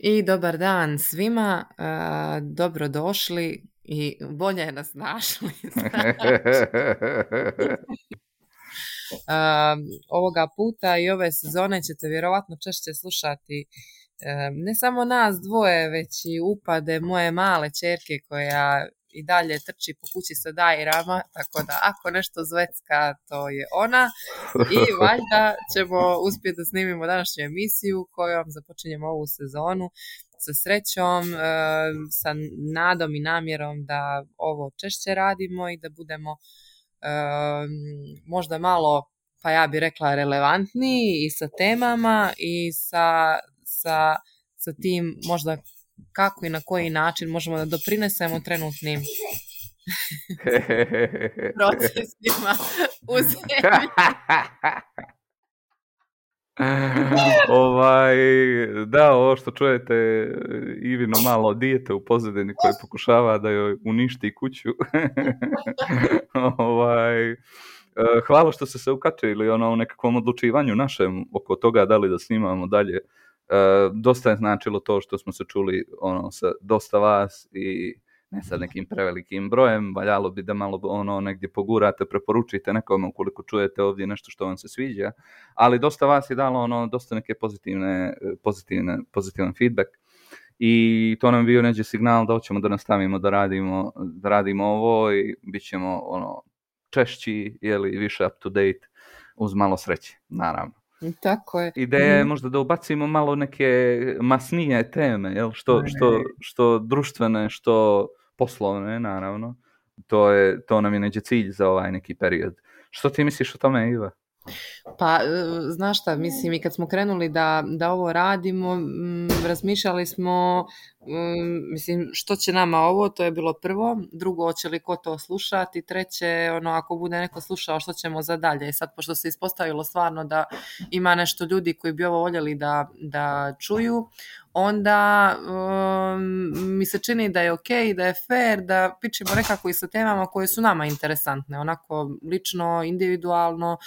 I dobar dan svima, dobrodošli i bolje nas našli. Ovoga puta i ove sezone ćete vjerovatno češće slušati ne samo nas dvoje, već i upade moje male ćerke koja i dalje trči po kući sa dajrama, tako da ako nešto zvecka, to je ona. I valjda ćemo uspjeti da snimimo današnju emisiju kojom započinjemo ovu sezonu sa srećom, sa nadom i namjerom da ovo češće radimo i da budemo možda malo, pa ja bih rekla, relevantniji i sa temama i sa tim možda kako i na koji način možemo da doprinesemo trenutnim procesima u zemlji. Da, ovo što čujete, Ivino malo dijete u pozadini koje pokušava da joj uništi kuću. Hvala što ste se ukačili u nekakvom odlučivanju našem oko toga da li da snimamo dalje. Dosta je značilo to što smo se čuli sa dosta vas i ne sa nekim prevelikim brojem, valjalo bi da malo negdje pogurate, preporučite nekome ukoliko čujete ovdje nešto što vam se sviđa, ali dosta vas je dalo dosta neke pozitivan feedback i to nam bio neđe signal da hoćemo da nastavimo da radimo ovo i bit ćemo češći, više up to date uz malo sreće, naravno. Tako je. Ideja je možda da ubacimo malo neke masnije teme, što društvene, što poslovne, naravno. To nam je neđe cilj za ovaj neki period. Što ti misliš o tome, Iva? Pa, znaš šta, mislim, i kad smo krenuli da ovo radimo, razmišljali smo, mislim, što će nama ovo, to je bilo prvo, drugo, hoće li ko to slušati, treće, ako bude neko slušao, što ćemo za dalje. I sad, pošto se ispostavilo stvarno da ima nešto ljudi koji bi ovo voljeli da čuju, onda mi se čini da je ok, da je fair, da pičemo nekako i sa temama koje su nama interesantne, onako lično, individualno,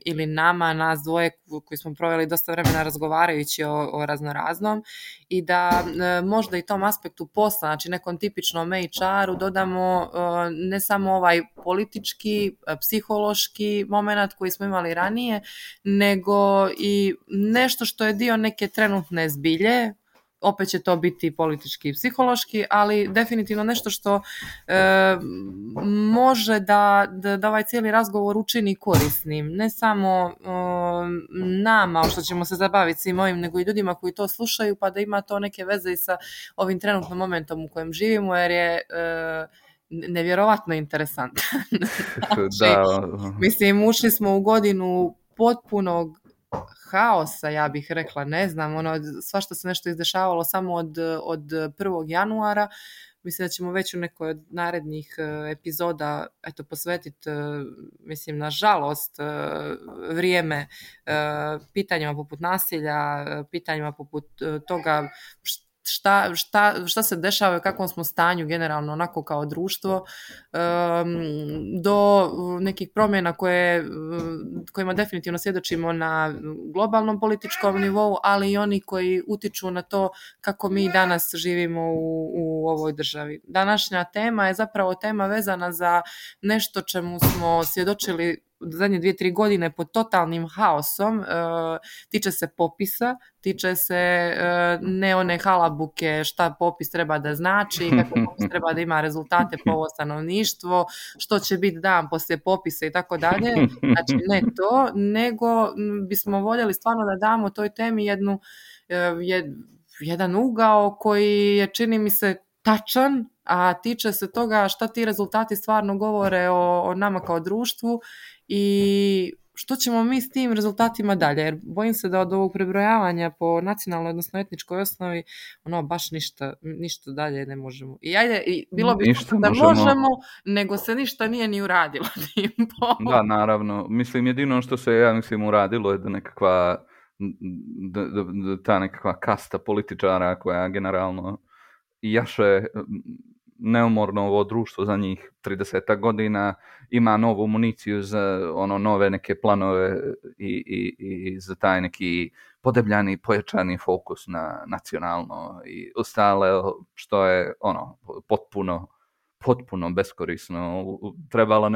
ili nas dvoje koji smo proveli dosta vremena razgovarajući o raznoraznom i da možda i tom aspektu posla, znači nekom tipičnom HR-u dodamo ne samo ovaj politički, psihološki moment koji smo imali ranije, nego i nešto što je dio neke trenutne zbilje. Opet će to biti politički i psihološki, ali definitivno nešto što može da ovaj cijeli razgovor učini korisnim. Ne samo nama, što ćemo se zabaviti svim ovim, nego i ljudima koji to slušaju, pa da ima to neke veze i sa ovim trenutnim momentom u kojem živimo, jer je nevjerovatno interesantan. Mislim, ušli smo u godinu potpunog haosa, ja bih rekla, ne znam, svašta se nešto izdešavalo samo od 1. januara. Mislim da ćemo već u nekoj od narednih epizoda posvetiti, mislim, nažalost, vrijeme pitanjima poput nasilja, pitanjima poput toga šta se dešava i u kakvom smo stanju generalno onako kao društvo, do nekih promjena kojima definitivno svjedočimo na globalnom političkom nivou, ali i oni koji utiču na to kako mi danas živimo u ovoj državi. Današnja tema je zapravo tema vezana za nešto čemu smo svjedočili zadnje 2-3 godine pod totalnim haosom. Tiče se popisa, tiče se ne one halabuke šta popis treba da znači, kako popis treba da ima rezultate po ovo stanovništvo, što će biti dan poslije popisa i tako dalje. Znači ne to, nego bismo voljeli stvarno da damo toj temi jedan ugao koji je, čini mi se, tačan, a tiče se toga šta ti rezultati stvarno govore o nama kao društvu i što ćemo mi s tim rezultatima dalje, jer bojim se da od ovog prebrojavanja po nacionalnoj, odnosno etničkoj osnovi, baš ništa dalje ne možemo. I bilo bi da možemo, nego se ništa nije ni uradilo. Da, naravno. Mislim, jedino što se, ja mislim, uradilo je da nekakva ta nekakva kasta političara koja generalno jaše neumorno ovo društvo za njih 30 godina, ima novu municiju za nove neke planove i za taj neki podebljani, pojačani fokus na nacionalno i ostale, što je potpuno beskorisno. Trebalo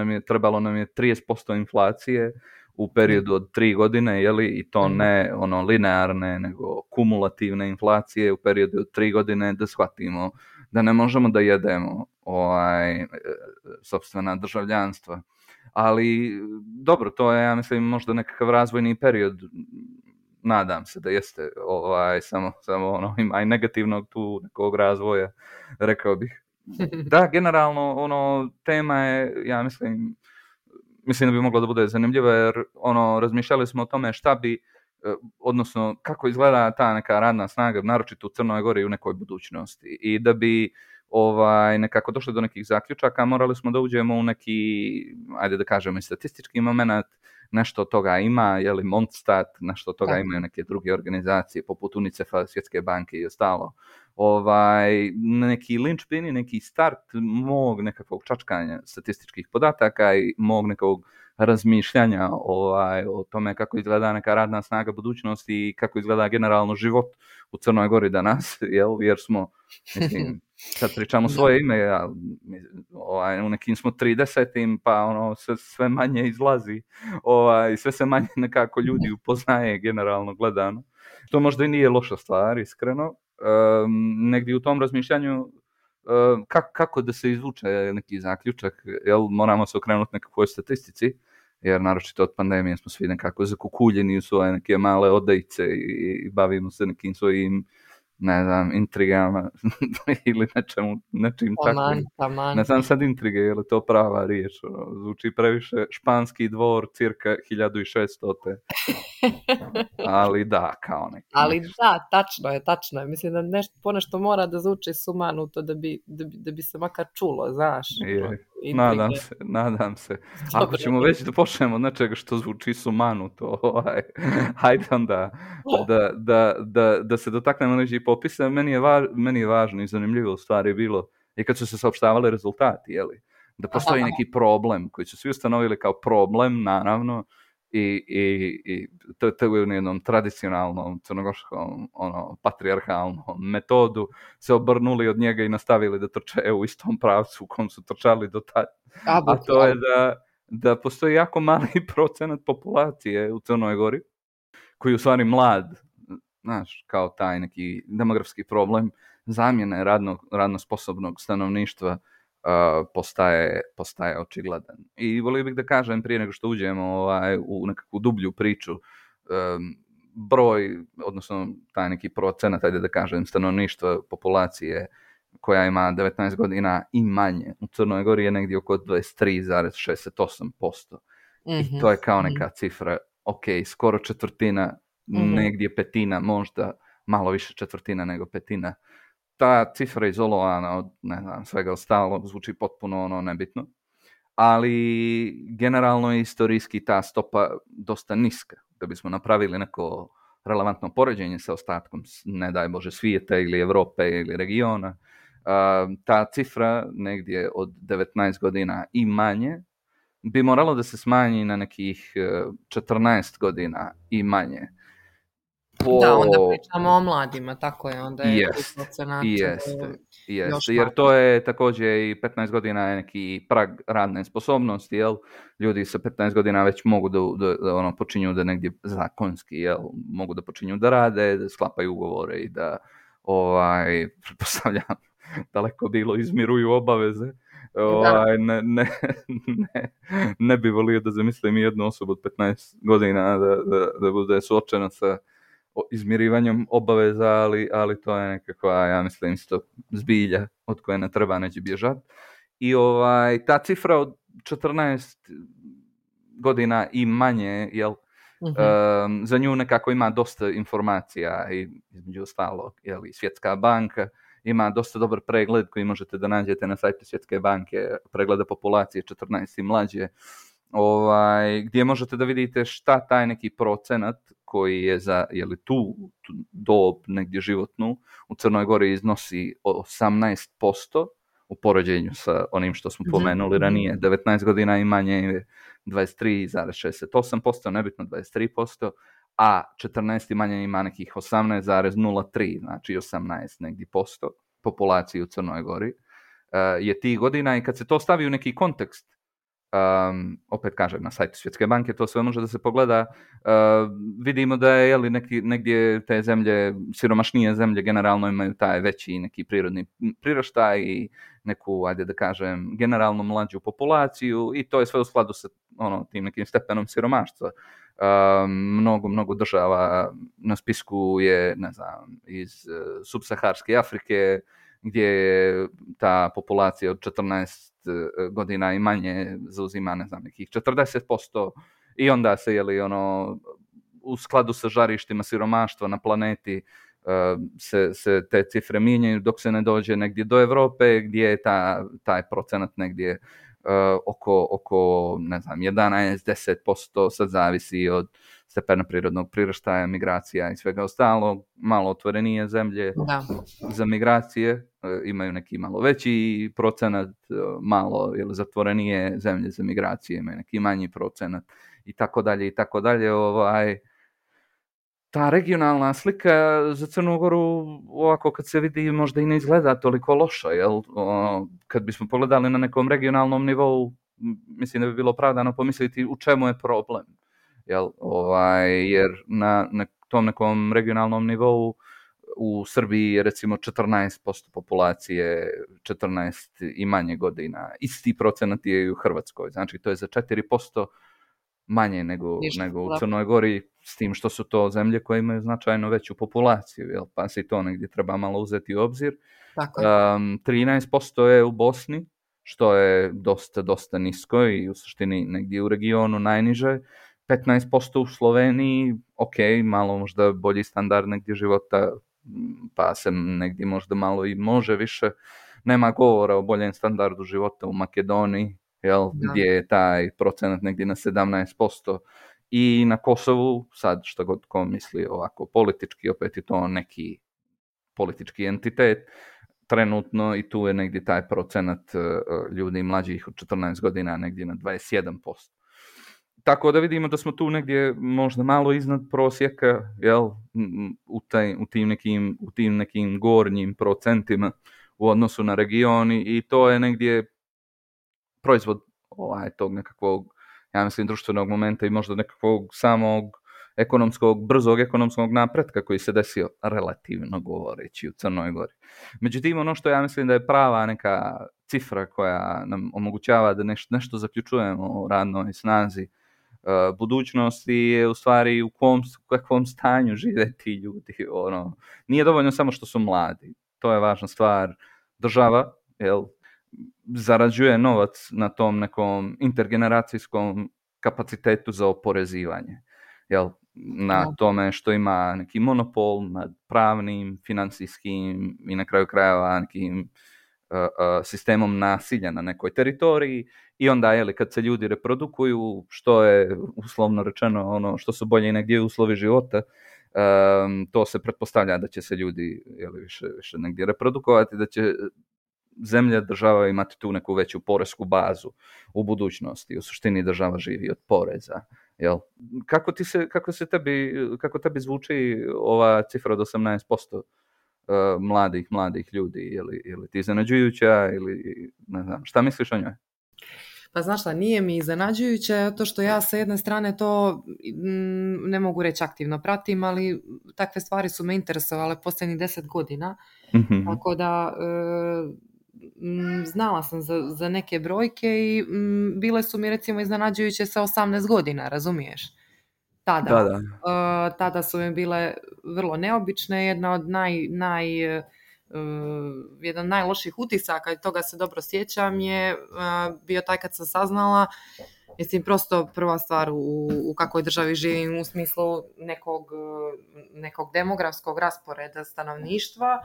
nam je 30% inflacije u periodu od 3 godine, i to ne linearne, nego kumulativne inflacije u periodu od 3 godine, da shvatimo da ne možemo da jedemo sopstvena državljanstva. Ali dobro, to je, ja mislim, možda nekakav razvojni period. Nadam se da jeste, samo ima i negativnog tu nekog razvoja, rekao bih. Da, generalno, tema je, ja mislim da bi moglo da bude zanimljivo, jer razmišljali smo o tome šta bi, odnosno kako izgleda ta neka radna snaga, naročito u Crnoj Gori u nekoj budućnosti. I da bi nekako došli do nekih zaključaka, morali smo da uđemo u neki, ajde da kažemo, i statistički moment. Nešto od toga ima, Mondstat, nešto od toga imaju neke druge organizacije poput UNICEF-a, Svjetske banke i ostalo. Neki linčpin i neki start mog nekakvog čačkanja statističkih podataka i mog nekog razmišljanja o tome kako izgleda neka radna snaga budućnosti i kako izgleda generalno život u Crnoj Gori danas, jer smo, mislim, sad pričamo svoje ime, u nekim smo 30. pa sve manje izlazi, sve se manje nekako ljudi upoznaje generalno gledano. To možda i nije loša stvar, iskreno. Negdje u tom razmišljanju kako da se izvuče neki zaključak, moramo se okrenuti nekakvoj statistici, jer naročito od pandemije smo svi nekako zakukuljeni u svoje neke male odajice i bavimo se nekim svojim, ne znam, intrigama ili nečim takvim. Ne znam sad intrige, je li to prava riječ? Zvuči previše španski dvor, cirka 1600. Ali da, kao neki. Ali da, tačno je. Mislim da ponešto mora da zvuči sumanuto da bi se makar čulo, znaš. Nadam se. Ako ćemo već da počnemo od nečega što zvuči sumanuto, hajde onda da se dotaknemo neđe popisa. Meni je važno i zanimljivo u stvari bilo i kad su se saopštavali rezultati, da postoji neki problem koji su svi ustanovili kao problem, naravno, i to u jednom tradicionalnom crnogorskom patrijarhalnom metodu se obrnuli od njega i nastavili da trče u istom pravcu u kom su trčali do tada. A to je da postoji jako mali procenat populacije u Crnoj Gori koji je u stvari mlad, znaš, kao taj neki demografski problem zamjene radno sposobnog stanovništva postaje očigledan. I volio bih da kažem, prije nego što uđemo u nekakvu dublju priču, broj, odnosno taj neki procenat, ajde da kažem, stanovništva populacije koja ima 19 godina i manje u Crnoj Gori je negdje oko 23,68%. I to je kao neka cifra, ok, skoro četvrtina, negdje petina, možda malo više četvrtina nego petina. Ta cifra izolovana od, ne znam, svega ostalog zvuči potpuno nebitno, ali generalno je istorijski ta stopa dosta niska. Da bismo napravili neko relevantno poređenje sa ostatkom, ne daj Bože, svijeta ili Evrope ili regiona, ta cifra negdje od 19 godina i manje bi moralo da se smanji na nekih 14 godina i manje. Da, onda pričamo o mladima, tako je, onda je procenat. Jeste, jer to je također i 15 godina je neki prag radne sposobnosti, ljudi sa 15 godina već mogu da počinju da negdje zakonski, mogu da počinju da rade, da sklapaju ugovore i da, pretpostavljam, daleko bilo izmiruju obaveze. Ne bi volio da zamislim jednu osobu od 15 godina da bude suočena sa izmirivanjem obaveza, ali to je nekakva, ja mislim, isto zbilja od koje ne treba neće bježati. I ta cifra od 14 godina i manje, za nju nekako ima dosta informacija i između ostalog, Svjetska banka ima dosta dobar pregled koji možete da nađete na sajtu Svjetske banke, pregleda populacije 14 i mlađe, gdje možete da vidite šta taj neki procenat koji je za tu dob negdje životnu u Crnoj Gori iznosi 18% u poređenju sa onim što smo pomenuli ranije. 19 godina i manje je 23,68%, nebitno 23%, a 14. manje ima nekih 18,03, znači 18 negdje posto populacije u Crnoj Gori, je tih godina, i kad se to stavi u neki kontekst, opet kažem, na sajtu Svjetske banke to sve može da se pogleda, vidimo da je negdje te zemlje, siromašnije zemlje generalno imaju taj veći neki prirodni priraštaj i neku, ajde da kažem, generalno mlađu populaciju, i to je sve u skladu sa tim nekim stepenom siromaštva. Mnogo država na spisku je, ne znam, iz subsaharske Afrike, gdje je ta populacija od 14 godina i manje zauzima, ne znam, nekih 40%, i onda se, u skladu sa žarištima siromaštva na planeti, se te cifre mijenjaju dok se ne dođe negdje do Europe, gdje je taj procenat negdje oko ne znam, 11-10%, sad zavisi od stepena prirodnog priraštaja, migracija i svega ostalog. Malo otvorenije zemlje za migracije imaju neki malo veći procenat, malo zatvorenije zemlje za migracije imaju neki manji procenat, i tako dalje i tako dalje. Ta regionalna slika za Crnu Goru, ovako kad se vidi, možda i ne izgleda toliko loša, jel? Kad bismo pogledali na nekom regionalnom nivou, mislim da bi bilo opravdano pomisliti u čemu je problem, jel? Jer na tom nekom regionalnom nivou u Srbiji je recimo 14% populacije 14 i manje godina. Isti procenat je i u Hrvatskoj, znači to je za 4% manje nego u Crnoj Gori, s tim što su to zemlje koje imaju značajno veću populaciju, jel? Pa se i to negdje treba malo uzeti u obzir. 13% je u Bosni, što je dosta nisko i u suštini negdje u regionu najniže. 15% u Sloveniji, ok, malo možda bolji standard negdje života, pa se negdje možda malo i može više. Nema govora o boljem standardu života u Makedoniji, jel, gdje je taj procenat negdje na 17%, i na Kosovu, sad što god ko misli ovako politički, opet je to neki politički entitet trenutno, i tu je negdje taj procenat ljudi mlađih od 14 godina negdje na 21%. Tako da vidimo da smo tu negdje možda malo iznad prosjeka, jel, u tim nekim gornjim procentima u odnosu na regioni, i to je negdje proizvod tog nekakvog, ja mislim, društvenog momenta i možda nekakvog samog brzog ekonomskog napretka koji se desio, relativno govoreći, u Crnoj Gori. Međutim, ono što ja mislim da je prava neka cifra koja nam omogućava da nešto zaključujemo o radnoj snazi budućnosti je u stvari u kakvom stanju žive ti ljudi. Nije dovoljno samo što su mladi, to je važna stvar. Država, jel, zarađuje novac na tom nekom intergeneracijskom kapacitetu za oporezivanje, jel, na tome što ima neki monopol nad pravnim, financijskim i na kraju krajeva nekim sistemom nasilja na nekoj teritoriji, i onda kad se ljudi reprodukuju, što je uslovno rečeno što su bolje negdje uslovi života, to se pretpostavlja da će se ljudi više negdje reprodukovati, da će zemlja, država imati tu neku veću poresku bazu u budućnosti. U suštini država živi od poreza. Jel? Kako tebi zvuči ova cifra od 18% mladih ljudi? Je li ti iznenađujuća ili ne znam, šta misliš o njoj? Pa znaš šta, nije mi iznenađujuće, to što ja sa jedne strane to ne mogu reći aktivno pratim, ali takve stvari su me interesovale posljednjih 10 godina. Mm-hmm. Tako da znala sam za neke brojke i bile su mi recimo iznenađujuće sa 18 godina, razumiješ? Tada su mi bile vrlo neobične, jedna od jedan najloših utisaka, i toga se dobro sjećam, je bio taj kad sam saznala, mislim, prosto prva stvar u kakvoj državi živim u smislu nekog demografskog rasporeda stanovništva,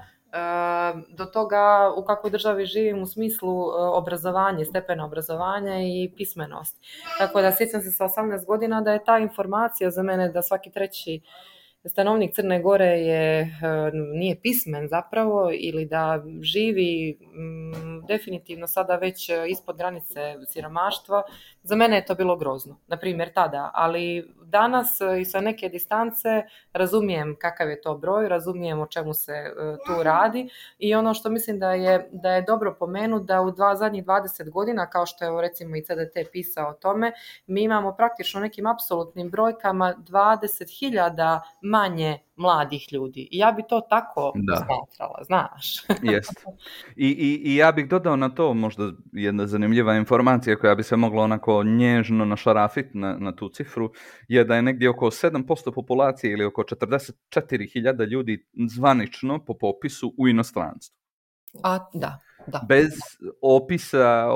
do toga u kakvoj državi živim u smislu obrazovanja, stepena obrazovanja i pismenosti. Tako da sjećam se sa 18 godina da je ta informacija za mene da svaki treći stanovnik Crne Gore nije pismen zapravo, ili da živi definitivno sada već ispod granice siromaštva. za mene je to bilo grozno, na primjer tada, ali danas i sa neke distance razumijem kakav je to broj, razumijem o čemu se tu radi i ono što mislim da je dobro pomenuti da u zadnjih 20 godina, kao što je recimo i CDT pisao o tome, mi imamo praktično nekim apsolutnim brojkama 20.000 manje mladih ljudi. I ja bi to tako posmatrala, znaš. Jest. I ja bih dodao na to možda jedna zanimljiva informacija koja bi se mogla onako nježno našarafiti na tu cifru, je da je negdje oko 7% populacije ili oko 44.000 ljudi zvanično po popisu u inostranstvu. Da. Bez opisa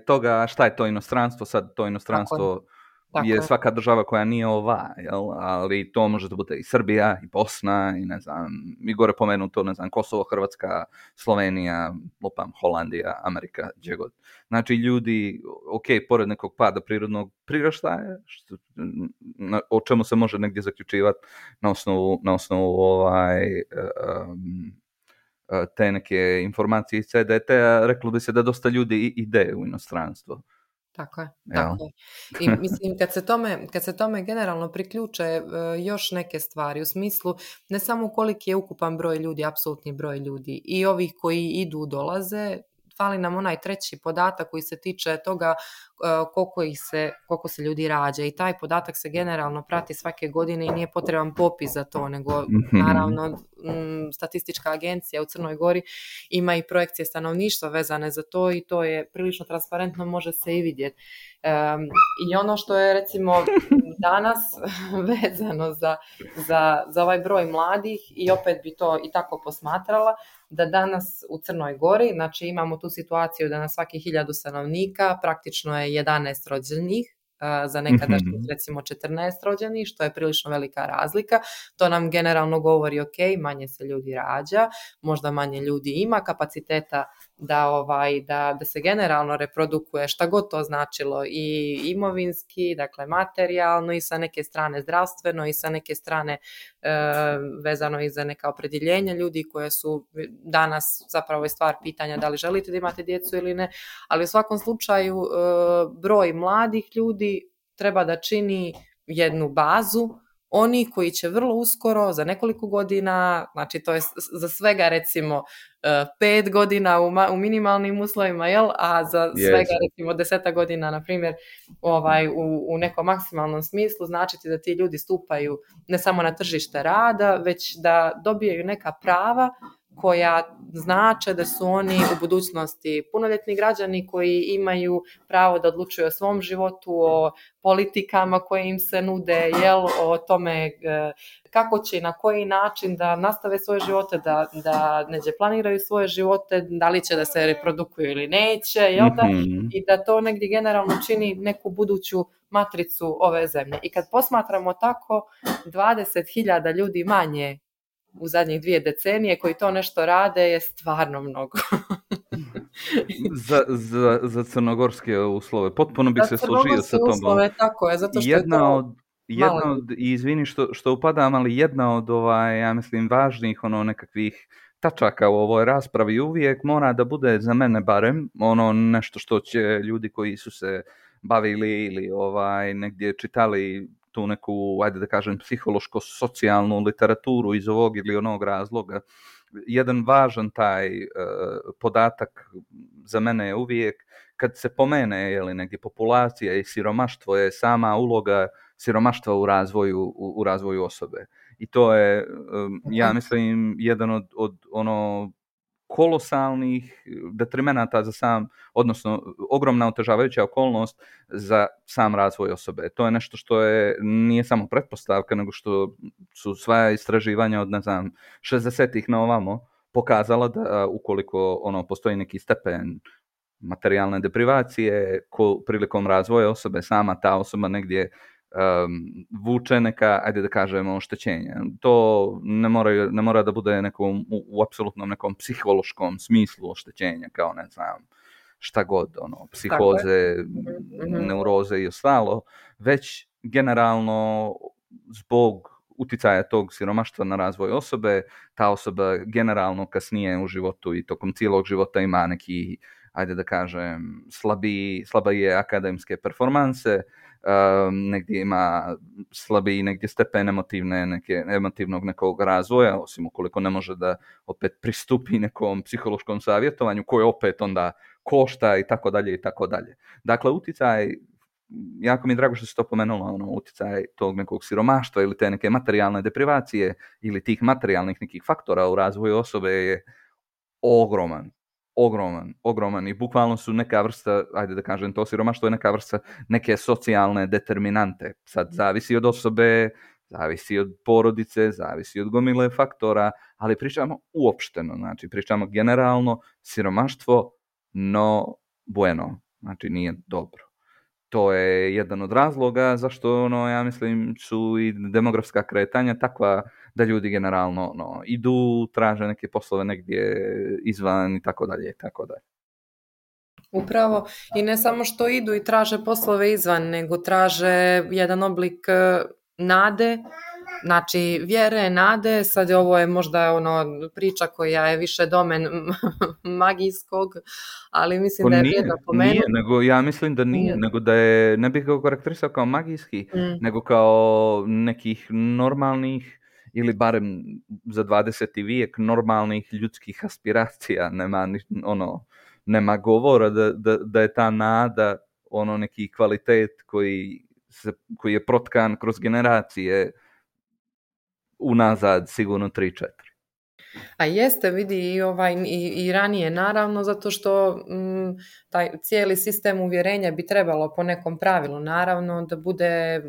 toga šta je to inostranstvo, sad to inostranstvo je svaka država koja nije jel? Ali to može da bude i Srbija, i Bosna, i ne znam, i gore pomenuto, ne znam, Kosovo, Hrvatska, Slovenija, Holandija, Amerika, gdje god. Znači ljudi, pored nekog pada prirodnog priraštaja, o čemu se može negdje zaključivati na osnovu te neke informacije iz CDT-a, reklo bi se da dosta ljudi ide u inostranstvo. Tako je. I mislim, kad se tome generalno priključe još neke stvari, u smislu ne samo koliki je ukupan broj ljudi, apsolutni broj ljudi, i ovih koji idu, dolaze, fali nam onaj treći podatak koji se tiče toga koliko se ljudi rađa, i taj podatak se generalno prati svake godine i nije potreban popis za to, nego naravno statistička agencija u Crnoj Gori ima i projekcije stanovništva vezane za to i to je prilično transparentno, može se i vidjeti. I ono što je recimo danas vezano za ovaj broj mladih, i opet bi to i tako posmatrala, da danas u Crnoj Gori, znači imamo tu situaciju da na svakih 1000 stanovnika praktično je 11 rođenih, za nekadašnjih recimo 14 rođenih, što je prilično velika razlika. To nam generalno govori manje se ljudi rađa, možda manje ljudi ima kapaciteta da se generalno reprodukuje, šta god to značilo, i imovinski, dakle materijalno, i sa neke strane zdravstveno, i sa neke strane vezano i za neka opredjeljenja ljudi koje su danas zapravo je stvar pitanja da li želite da imate djecu ili ne, ali u svakom slučaju broj mladih ljudi treba da čini jednu bazu, oni koji će vrlo uskoro, za nekoliko godina, znači to je za svega recimo 5 godina u minimalnim uslovima, jel? A za svega recimo 10 godina, na primjer, u nekom maksimalnom smislu, značiti da ti ljudi stupaju ne samo na tržište rada, već da dobijaju neka prava koja znače da su oni u budućnosti punoljetni građani koji imaju pravo da odlučuju o svom životu, o politikama koje im se nude, o tome kako će i na koji način da nastave svoje živote, da neđe planiraju svoje živote, da li će da se reprodukuju ili neće, i da to negdje generalno čini neku buduću matricu ove zemlje. I kad posmatramo tako, 20.000 ljudi manje u zadnjih 2 decenije koji to nešto rade je stvarno mnogo. za crnogorske uslove. Potpuno bih se složio sa tom. Uslove, tako je, zato što jedna od, izvini što upadam, ali jedna od ja mislim važnih nekakvih tačaka u ovoj raspravi uvijek mora da bude, za mene barem, nešto što će ljudi koji su se bavili ili negdje čitali tu neku, ajde da kažem, psihološko-socijalnu literaturu iz ovog ili onog razloga. Jedan važan taj podatak za mene je uvijek, kad se pomene negdje populacija i siromaštvo, je sama uloga siromaštva u razvoju osobe. I to je, ja mislim, jedan od kolosalnih detrimenata za sam, odnosno ogromna otežavajuća okolnost za sam razvoj osobe. To je nešto što nije samo pretpostavka, nego što su sva istraživanja od, 60-ih na ovamo pokazala da ukoliko postoji neki stepen materijalne deprivacije prilikom razvoja osobe, sama ta osoba negdje vuče neka, ajde da kažemo, oštećenja. To ne mora da bude u apsolutnom nekom psihološkom smislu oštećenja, kao ne znam šta god, psihoze, neuroze i ostalo, već generalno zbog uticaja tog siromaštva na razvoj osobe, ta osoba generalno kasnije u životu i tokom cijelog života ima neki ajde da kažem, slabije akademske performanse, negdje ima slabiji negdje stepen emotivnog nekog razvoja, osim ukoliko ne može da opet pristupi nekom psihološkom savjetovanju koje opet onda košta i tako dalje i tako dalje. Dakle, utjecaj, jako mi je drago što si to pomenula, utjecaj tog nekog siromaštva ili te neke materijalne deprivacije ili tih materijalnih nekih faktora u razvoju osobe je ogroman i bukvalno su neka vrsta, ajde da kažem, to siromaštvo je neka vrsta neke socijalne determinante. Sad zavisi od osobe, zavisi od porodice, zavisi od gomile faktora, ali pričamo uopšteno, znači pričamo generalno, siromaštvo no bueno, znači nije dobro. To je jedan od razloga zašto, ja mislim, su i demografska kretanja takva da ljudi generalno idu, traže neke poslove negdje izvan i tako dalje i tako dalje. Upravo, i ne samo što idu i traže poslove izvan, nego traže jedan oblik nade, znači vjere, nade. Sad ovo je možda priča koja je više domen magijskog, ali mislim da je vrijedno pomenuti. Nije, nego ja mislim da nije, nego da je, ne bih ga okarakterisao kao magijski, nego kao nekih normalnih ili barem za 20. vijek normalnih ljudskih aspiracija. Nema govora da je ta nada neki kvalitet koji je protkan kroz generacije unazad sigurno 3-4. A jeste, vidi, i ranije naravno, zato što taj cijeli sistem uvjerenja bi trebalo po nekom pravilu naravno da bude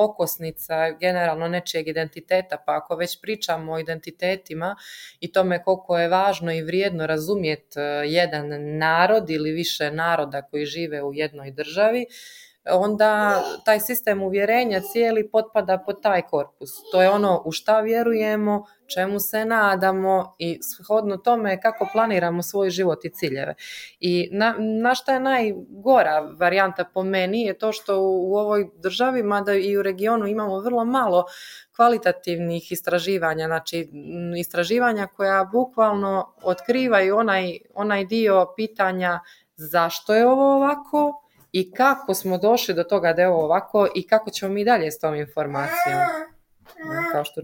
okosnica generalno nečijeg identiteta, pa ako već pričamo o identitetima i tome koliko je važno i vrijedno razumjeti jedan narod ili više naroda koji žive u jednoj državi, onda taj sistem uvjerenja cijeli potpada pod taj korpus. To je ono u šta vjerujemo, čemu se nadamo i shodno tome kako planiramo svoj život i ciljeve. I na šta je najgora varijanta po meni je to što u ovoj državi, mada i u regionu imamo vrlo malo kvalitativnih istraživanja, znači istraživanja koja bukvalno otkrivaju onaj dio pitanja zašto je ovo ovako, i kako smo došli do toga da je ovo ovako i kako ćemo mi dalje s tom informacijom. Kao što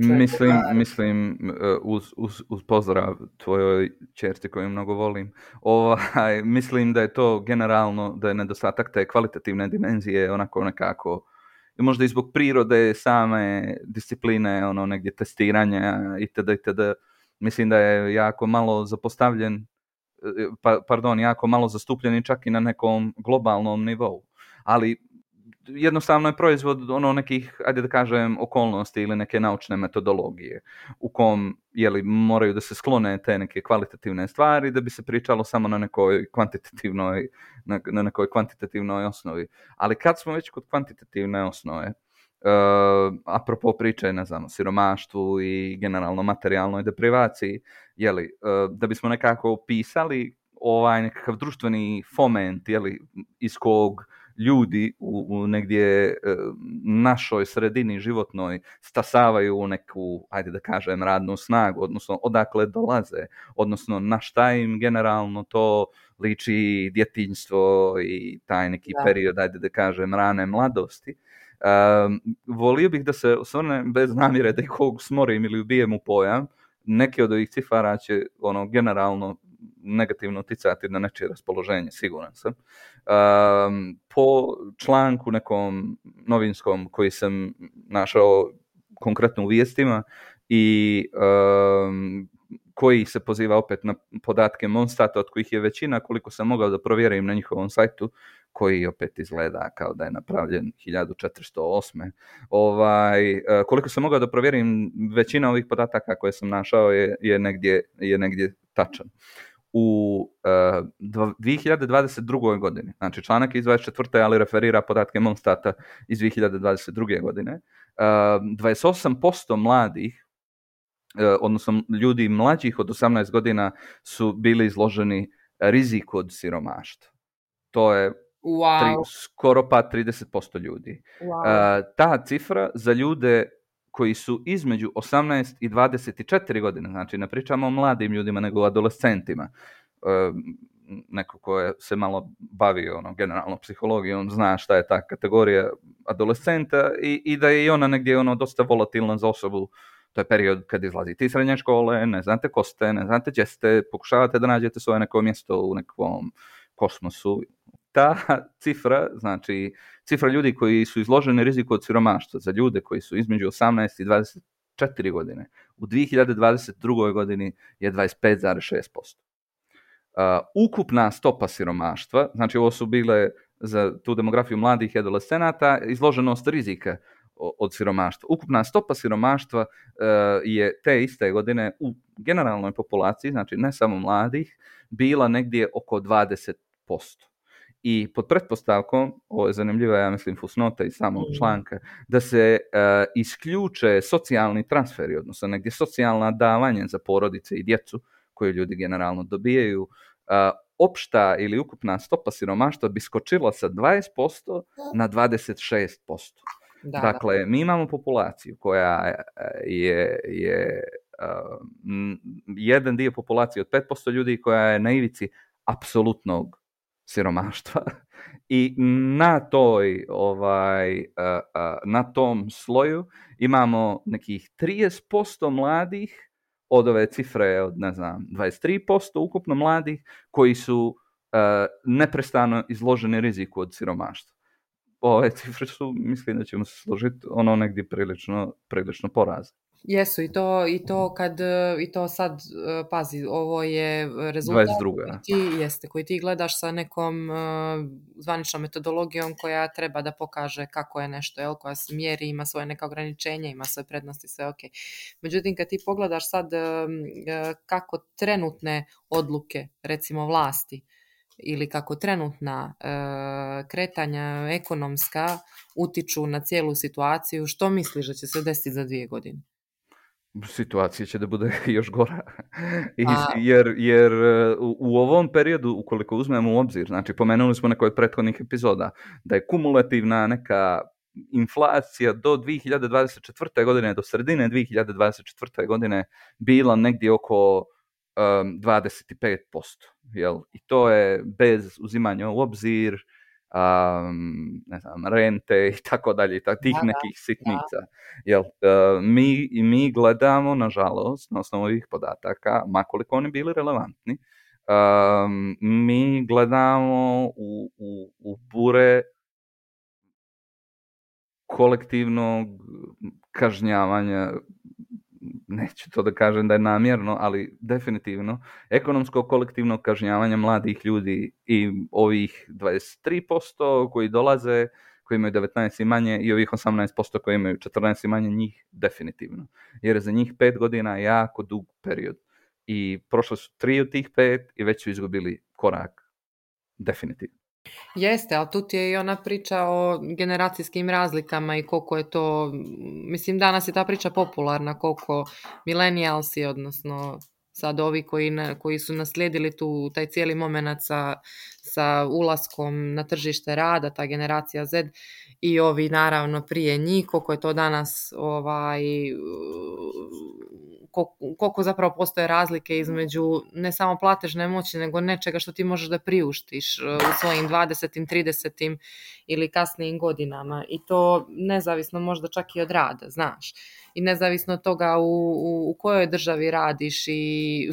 mislim uz pozdrav tvojoj čerci koju mnogo volim, mislim da je to generalno, da je nedostatak te kvalitativne dimenzije onako nekako, možda i zbog prirode same discipline, negdje testiranja itd. Mislim da je jako malo zapostavljen, jako malo zastupljeni čak i na nekom globalnom nivou. Ali jednostavno je proizvod nekih, ajde da kažem, okolnosti ili neke naučne metodologije u kom moraju da se sklone te neke kvalitativne stvari da bi se pričalo samo na nekoj kvantitativnoj osnovi. Ali kad smo već kod kvantitativne osnove, apropo priče, ne znam, o siromaštvu i generalno materijalnoj deprivaciji, da bismo nekako opisali nekakav društveni foment, iz kog ljudi u negdje našoj sredini životnoj stasavaju u neku, ajde da kažem, radnu snagu, odnosno odakle dolaze, odnosno na šta im generalno to liči djetinjstvo i taj neki period, ajde da kažem, rane mladosti. Volio bih da se osvrne bez namjere da ih smorim ili ubijem u pojam. Neke od ovih cifara će generalno negativno uticati na nečije raspoloženje, siguran sam. Po članku nekom novinskom koji sam našao konkretno u vijestima i koji se poziva opet na podatke Monstata, od kojih je većina, koliko sam mogao da provjerim na njihovom sajtu, koji opet izgleda kao da je napravljen 1408. Koliko sam mogao da provjerim, većina ovih podataka koje sam našao je negdje tačan. U 2022. godini, znači članak iz 24. ali referira podatke Monstata iz 2022. godine, 28% mladih, odnosno ljudi mlađih od 18 godina su bili izloženi riziku od siromaštva. To je skoro pa 30% ljudi. Ta cifra za ljude koji su između 18 i 24 godine, znači ne pričamo o mladim ljudima nego o adolescentima, neko ko je se malo bavio generalno psihologijom, zna šta je ta kategorija adolescenta i da je i ona negdje dosta volatilna za osobu. To je period kad izlazite iz srednje škole, ne znate ko ste, ne znate gdje ste, pokušavate da nađete svoje neko mjesto u nekom kosmosu. Ta cifra, znači cifra ljudi koji su izloženi riziku od siromaštva za ljude koji su između 18 i 24 godine u 2022. godini je 25,6%. Ukupna stopa siromaštva, znači ovo su bile za tu demografiju mladih i adolescenata, izloženost rizika od siromaštva. Ukupna stopa siromaštva je te iste godine u generalnoj populaciji, znači ne samo mladih, bila negdje oko 20%. I pod pretpostavkom, ovo je zanimljiva, ja mislim, fusnota iz samog članka, da se isključe socijalni transferi, odnosno negdje socijalna davanja za porodice i djecu, koje ljudi generalno dobijaju, opšta ili ukupna stopa siromaštva bi skočila sa 20% na 26%. Dakle, mi imamo populaciju koja je jedan dio populacije od 5% ljudi koja je na ivici apsolutnog siromaštva i na tom sloju imamo nekih 30% mladih od ove cifre od, 23% ukupno mladih koji su neprestano izloženi riziku od siromaštva. Ove cifre su, mislim da ćemo se složiti, negdje prilično porazne. Jesu, i to sad, pazi, ovo je rezultat 22. koji ti gledaš sa nekom zvaničnom metodologijom koja treba da pokaže kako je nešto, koja se mjeri, ima svoje neka ograničenja, ima svoje prednosti, sve ok. Međutim, kad ti pogledaš sad kako trenutne odluke, recimo vlasti, ili kako trenutna kretanja ekonomska utiču na cijelu situaciju, što misliš da će se desiti za 2 godine? Situacija će da bude još gora. Jer u ovom periodu, ukoliko uzmemo u obzir, znači pomenuli smo neko od prethodnih epizoda, da je kumulativna neka inflacija do 2024. godine, do sredine 2024. godine bila negdje oko 25%. Jel? I to je bez uzimanja u obzir rente i tako dalje, tih nekih sitnica. Jel, mi gledamo, nažalost, na osnovu ovih podataka, makoliko oni bili relevantni, mi gledamo u bure kolektivnog kažnjavanja, neću to da kažem da je namjerno, ali definitivno ekonomsko kolektivno kažnjavanje mladih ljudi i ovih 23% koji dolaze, koji imaju 19 i manje, i ovih 18% koji imaju 14 i manje, njih definitivno. Jer za njih 5 godina je jako dug period. I prošle su 3 od tih 5 i već su izgubili korak. Definitivno. Jeste, ali tu ti je i ona priča o generacijskim razlikama i koliko je to, mislim, danas je ta priča popularna, koliko millennialsi, odnosno sad ovi koji su naslijedili taj cijeli moment sa ulaskom na tržište rada, ta generacija Z, i ovi naravno prije njih, koliko je to danas koliko zapravo postoje razlike između ne samo platežne moći, nego nečega što ti možeš da priuštiš u svojim 20. 30. ili kasnijim godinama, i to nezavisno možda čak i od rada, znaš, i nezavisno od toga u kojoj državi radiš i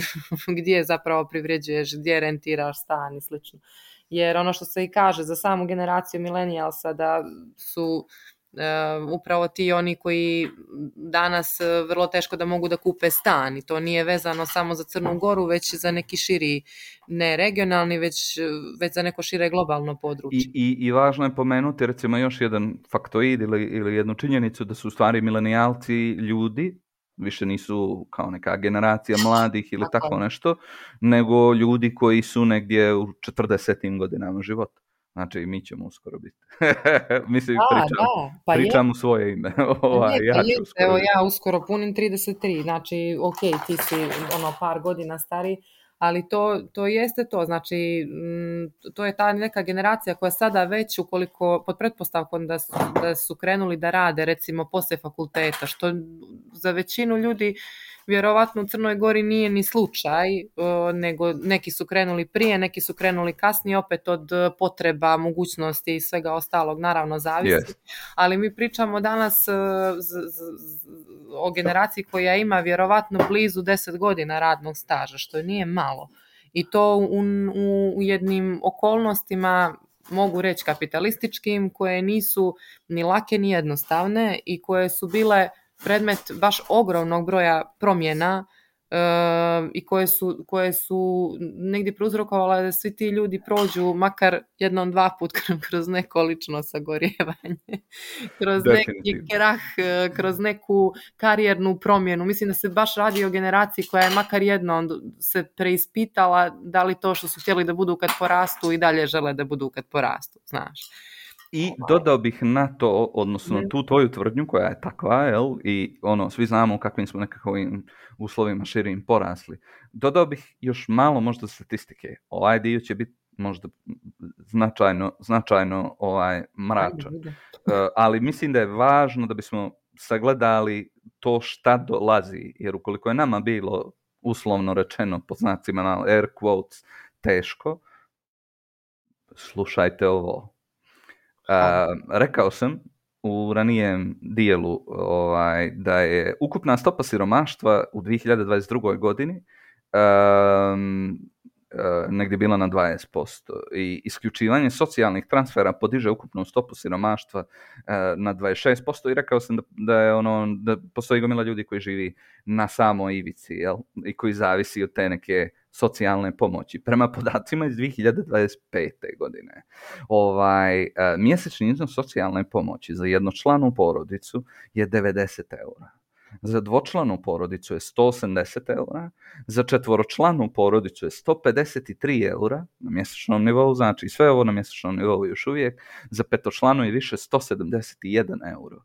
gdje zapravo privređuješ, gdje rentiraš stan i slično. Jer ono što se i kaže za samu generaciju millennialsa, da su upravo ti oni koji danas vrlo teško da mogu da kupe stan, i to nije vezano samo za Crnu Goru, već za neki širi, ne regionalni, već za neko šire globalno područje. I važno je pomenuti recimo još jedan faktoid ili jednu činjenicu, da su u stvari milenijalci ljudi, više nisu kao neka generacija mladih ili tako nešto, nego ljudi koji su negdje u 40. godinama života. Znači, mi ćemo uskoro biti. Mislim, pričam u svoje ime. Evo, ja uskoro punim 33, znači, ok, ti si par godina stari, ali to jeste to, znači, to je ta neka generacija koja sada već, ukoliko, pod pretpostavkom da su krenuli da rade, recimo, poslije fakulteta, što za većinu ljudi vjerovatno u Crnoj Gori nije ni slučaj, nego neki su krenuli prije, neki su krenuli kasnije, opet od potreba, mogućnosti i svega ostalog, naravno zavisi. Ali mi pričamo danas o generaciji koja ima vjerovatno blizu 10 godina radnog staža, što nije malo. I to u jednim okolnostima, mogu reći kapitalističkim, koje nisu ni lake ni jednostavne i koje su bile predmet baš ogromnog broja promjena i koje su negdje prouzrokovale da svi ti ljudi prođu makar jednom, dva put kroz neko lično sagorjevanje, kroz neki krah, kroz neku karijernu promjenu. Mislim da se baš radi o generaciji koja je makar jednom se preispitala da li to što su htjeli da budu kad porastu i dalje žele da budu kad porastu, znaš. I dodao bih na to, odnosno tu tvoju tvrdnju koja je takva, jel? I svi znamo u kakvim smo nekakvim uslovima širim porasli. Dodao bih još malo možda statistike. Ovaj dio će biti možda značajno mračan. Ali mislim da je važno da bismo sagledali to šta dolazi, jer ukoliko je nama bilo uslovno rečeno pod znacima na air quotes teško, slušajte ovo. Rekao sam u ranijem dijelu da je ukupna stopa siromaštva u 2022. godini negdje bila na 20% i isključivanje socijalnih transfera podiže ukupnu stopu siromaštva na 26% i rekao sam da postoji gomila ljudi koji živi na samoj ivici, jel? I koji zavisi od te neke socijalne pomoći. Prema podacima iz 2025. godine mjesečni iznos socijalne pomoći za jednočlanu porodicu je 90 eura. Za dvočlanu porodicu je 180 eura, za četvoročlanu porodicu je 153 eura na mjesečnom nivou, znači sve ovo na mjesečnom nivou još uvijek, za petočlanu je više 171 euro.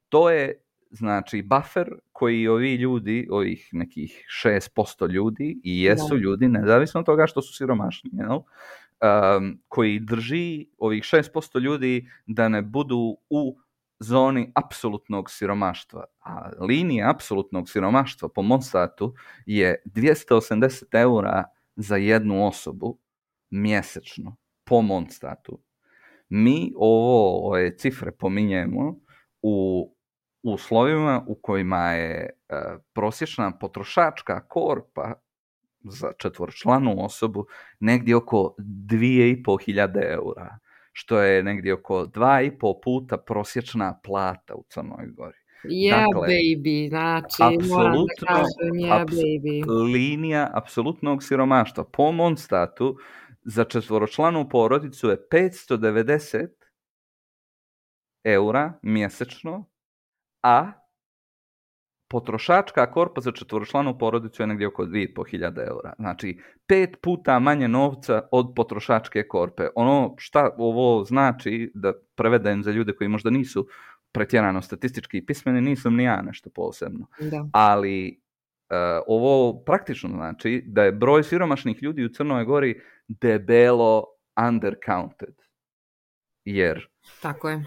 To je znači buffer koji ovi ljudi, ovih nekih 6% ljudi, i jesu ljudi, nezavisno od toga što su siromašni, koji drži ovih 6% ljudi da ne budu u zoni apsolutnog siromaštva. A linija apsolutnog siromaštva po Monsatu je 280 eura za jednu osobu mjesečno po Monstatu. Mi ove cifre pominjemo u uslovima u kojima je prosječna potrošačka korpa za četvoročlanu osobu negdje oko 2500 eura, što je negdje oko 2,5 puta prosječna plata u Crnoj Gori. Dakle, baby, znači moram da kažem, baby. Linija apsolutnog siromaštva po Monstatu za četvoročlanu porodicu je 590 eura mjesečno, a potrošačka korpa za četvoročlanu porodicu je negdje oko 2500 eura. Znači, 5 puta manje novca od potrošačke korpe. Ono šta ovo znači, da prevedem za ljude koji možda nisu pretjerano statistički pismeni, nisam ni ja nešto posebno. Da. Ali ovo praktično znači da je broj siromašnih ljudi u Crnoj Gori debelo undercounted. Jer tako je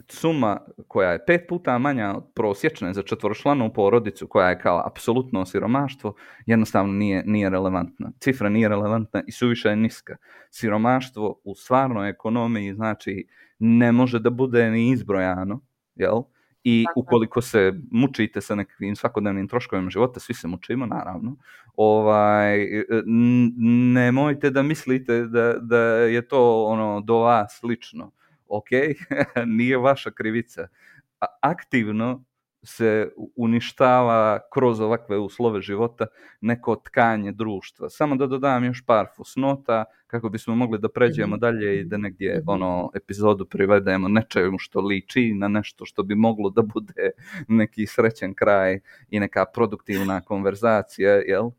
suma koja je 5 puta manja od prosječne za četvoročlanu porodicu, koja je kao apsolutno siromaštvo, jednostavno nije relevantna. Cifra nije relevantna i suviše je niska. Siromaštvo u stvarnoj ekonomiji znači ne može da bude ni izbrojano, jel? I ukoliko se mučite sa nekakvim svakodnevnim troškovima života, svi se mučimo, naravno, nemojte da mislite da je to do vas lično. Ok, nije vaša krivica. Aktivno se uništava kroz ovakve uslove života neko tkanje društva. Samo da dodam još par fusnota kako bismo mogli da pređemo dalje i da negdje epizodu privedemo nečemu što liči na nešto što bi moglo da bude neki srećen kraj i neka produktivna konverzacija, jel?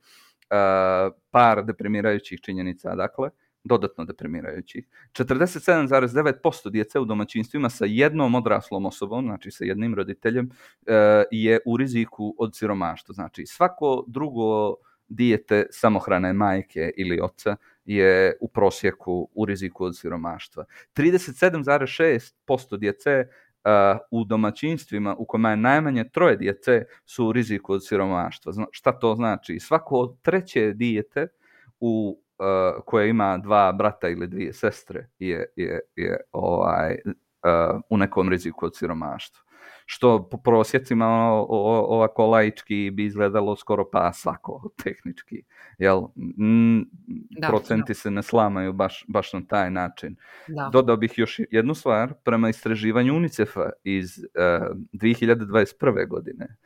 Par deprimirajućih činjenica, dakle. Dodatno deprimirajućih. 47,9% djece u domaćinstvima sa jednom odraslom osobom, znači sa jednim roditeljem, je u riziku od siromaštva. Znači svako drugo dijete samohrane majke ili oca je u prosjeku u riziku od siromaštva. 37,6% djece u domaćinstvima u kojima je najmanje 3 djece su u riziku od siromaštva. Šta to znači? Svako 3. dijete koje ima 2 brata ili 2 sestre je u nekom riziku od siromaštva. Što po prosjecima ovako laički bi izgledalo skoro pa svako tehnički. Jel? Procenti se ne slamaju baš na taj način. Da. Dodao bih još jednu stvar. Prema istraživanju UNICEF-a iz 2021. godine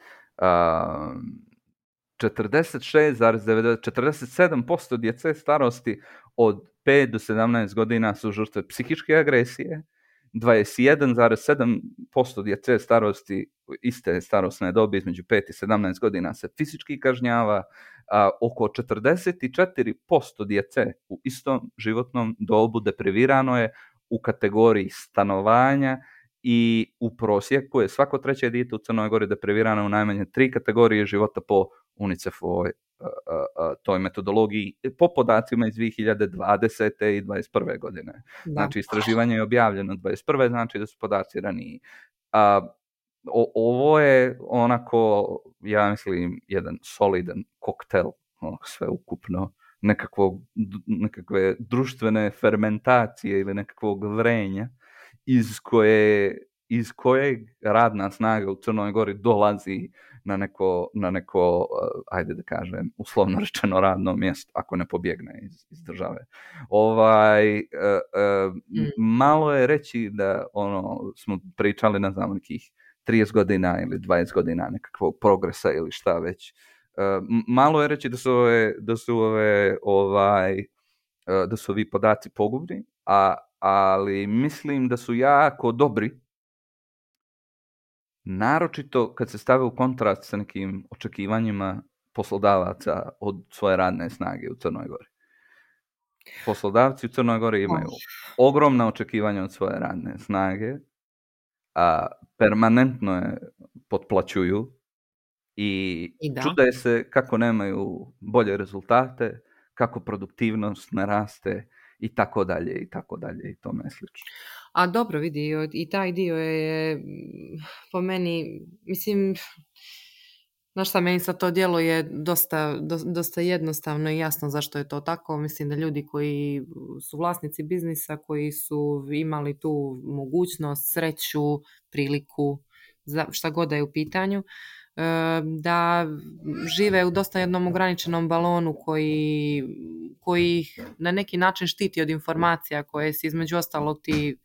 47% djece starosti od 5 do 17 godina su žrtve psihičke agresije, 21,7% djece starosti, iste starosne dobi između 5 i 17 godina se fizički kažnjava, a oko 44% djece u istom životnom dobu deprivirano je u kategoriji stanovanja i u prosjeku je svako 3. dijete u Crnoj Gori deprivirano u najmanje 3 kategorije života po UNICEF-ovoj toj metodologiji po podacima iz 2020. i 2021. godine. Da. Znači, istraživanje je objavljeno 2021. znači da su podaci raniji. Ovo je onako, ja mislim, jedan solidan koktel, sve ukupno, nekakve društvene fermentacije ili nekakvog vrenja iz kojeg radna snaga u Crnoj Gori dolazi na neko, ajde da kažem, uslovno rečeno radno mjesto, ako ne pobjegne iz države. Malo je reći da smo pričali, ne znam, nekih 30 godina ili 20 godina nekakvog progresa ili šta već. Malo je reći da su ovi podaci pogubni, ali mislim da su jako dobri, naročito kad se stave u kontrast sa nekim očekivanjima poslodavaca od svoje radne snage u Crnoj Gori. Poslodavci u Crnoj Gori imaju ogromna očekivanja od svoje radne snage, a permanentno je potplaćuju i čude se kako nemaju bolje rezultate, kako produktivnost ne raste i tako dalje i tome slično. A dobro, vidi, i taj dio je po meni, mislim, znaš šta, meni sad to djeluje dosta jednostavno i jasno zašto je to tako. Mislim da ljudi koji su vlasnici biznisa, koji su imali tu mogućnost, sreću, priliku, šta god da je u pitanju, da žive u dosta jednom ograničenom balonu koji ih na neki način štiti od informacija koje si između ostalog ti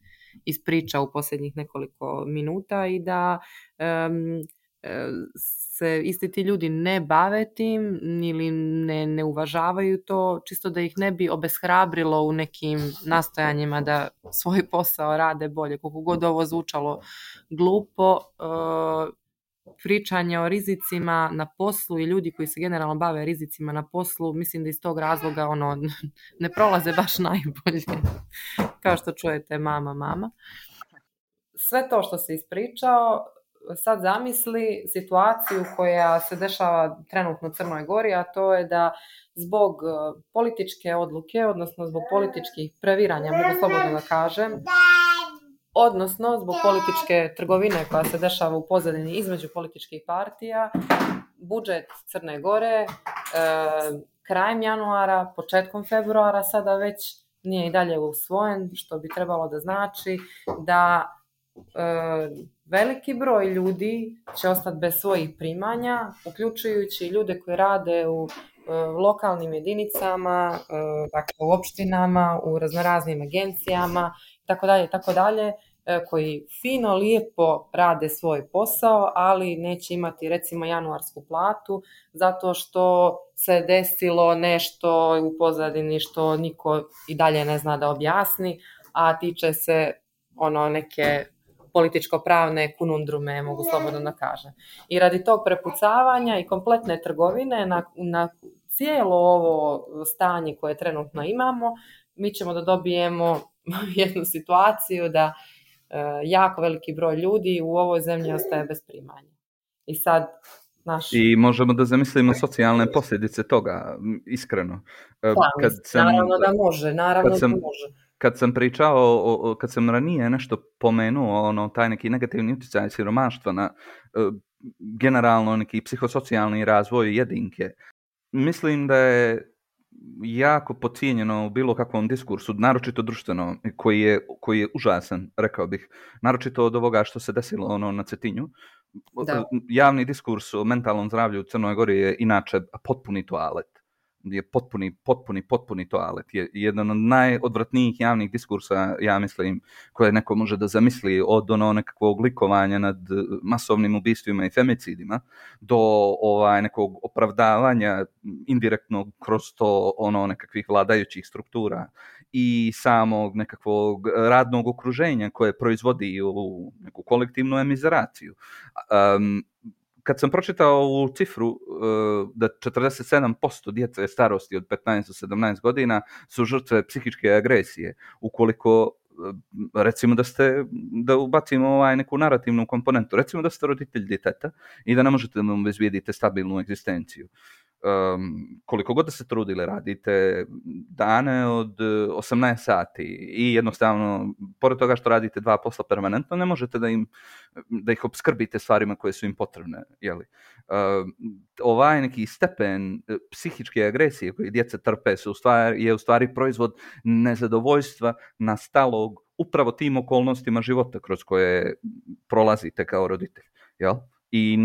ispriča u posljednjih nekoliko minuta i da se isti ti ljudi ne bave tim ili ne uvažavaju to, čisto da ih ne bi obeshrabrilo u nekim nastojanjima da svoj posao rade bolje. Koliko god ovo zvučalo glupo, pričanje o rizicima na poslu i ljudi koji se generalno bave rizicima na poslu, mislim da iz tog razloga ne prolaze baš najbolje. Kao što čujete, mama. Sve to što se ispričao, sad zamisli situaciju koja se dešava trenutno u Crnoj Gori, a to je da zbog političke odluke, odnosno zbog političkih previranja, mogu slobodno da kažem, odnosno zbog političke trgovine koja se dešava u pozadini između političkih partija, budžet Crne Gore krajem januara, početkom februara sada već nije i dalje usvojen, što bi trebalo da znači da veliki broj ljudi će ostati bez svojih primanja, uključujući ljude koji rade u lokalnim jedinicama, dakle u opštinama, u raznoraznim agencijama, tako dalje, koji fino, lijepo rade svoj posao, ali neće imati recimo januarsku platu zato što se desilo nešto u pozadini što niko i dalje ne zna da objasni, a tiče se neke političko-pravne kunundrume, mogu slobodno da kažem. I radi tog prepucavanja i kompletne trgovine na cijelo ovo stanje koje trenutno imamo, mi ćemo da dobijemo jednu situaciju da jako veliki broj ljudi u ovoj zemlji ostaje bez primanja. I sad I možemo da zamislimo socijalne posljedice toga, iskreno. Naravno da može. kad sam pričao, kad sam ranije nešto pomenuo, taj neki negativni utjecaj siromaštva na generalno neki psihosocijalni razvoj jedinke, mislim da je jako podcijenjeno u bilo kakvom diskursu, naročito društveno, koji je užasan, rekao bih, naročito od ovoga što se desilo na Cetinju. Da. Javni diskurs o mentalnom zdravlju u Crnoj Gori je inače potpuni toalet. Je potpuni toalet. Je jedan od najodvratnijih javnih diskursa, ja mislim, koje neko može da zamisli, od nekakvog likovanja nad masovnim ubistvima i femicidima do nekog opravdavanja indirektnog kroz to nekakvih vladajućih struktura i samog nekakvog radnog okruženja koje proizvodi u neku kolektivnu emizeraciju. Kad sam pročitao ovu cifru da 47% djece starosti od 15 do 17 godina su žrtve psihičke agresije, ukoliko recimo da ubacimo neku narativnu komponentu, recimo da ste roditelj djeteta i da ne možete da mu obezbijedite stabilnu egzistenciju. Koliko god da se trudili, radite dane od 18 sati i jednostavno, pored toga što radite 2 posla permanentno, ne možete da ih opskrbite stvarima koje su im potrebne. Ovaj neki stepen psihičke agresije koje djeca trpe je u stvari proizvod nezadovoljstva nastalog upravo tim okolnostima života kroz koje prolazite kao roditelj. Jel? I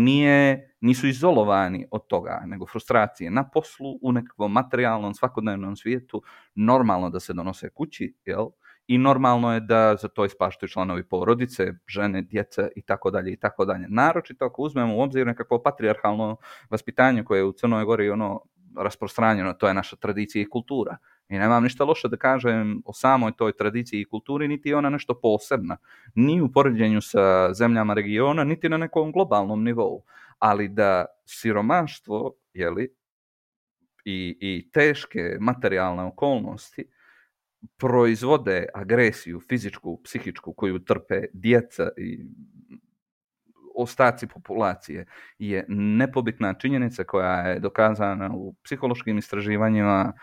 nisu izolovani od toga, nego frustracije na poslu, u nekakvom materijalnom, svakodnevnom svijetu, normalno da se donose kući, jel? I normalno je da za to ispaštaju članovi porodice, žene, djeca i tako dalje i tako dalje. Naročito ako uzmemo u obzir nekakvo patrijarhalno vaspitanje koje je u Crnoj Gori rasprostranjeno, to je naša tradicija i kultura. I nemam ništa loše da kažem o samoj toj tradiciji i kulturi, niti je ona nešto posebna. Ni u poređenju sa zemljama regiona, niti na nekom globalnom nivou. Ali da siromaštvo, i teške materijalne okolnosti proizvode agresiju fizičku, psihičku koju trpe djeca i ostaci populacije, je nepobitna činjenica koja je dokazana u psihološkim istraživanjima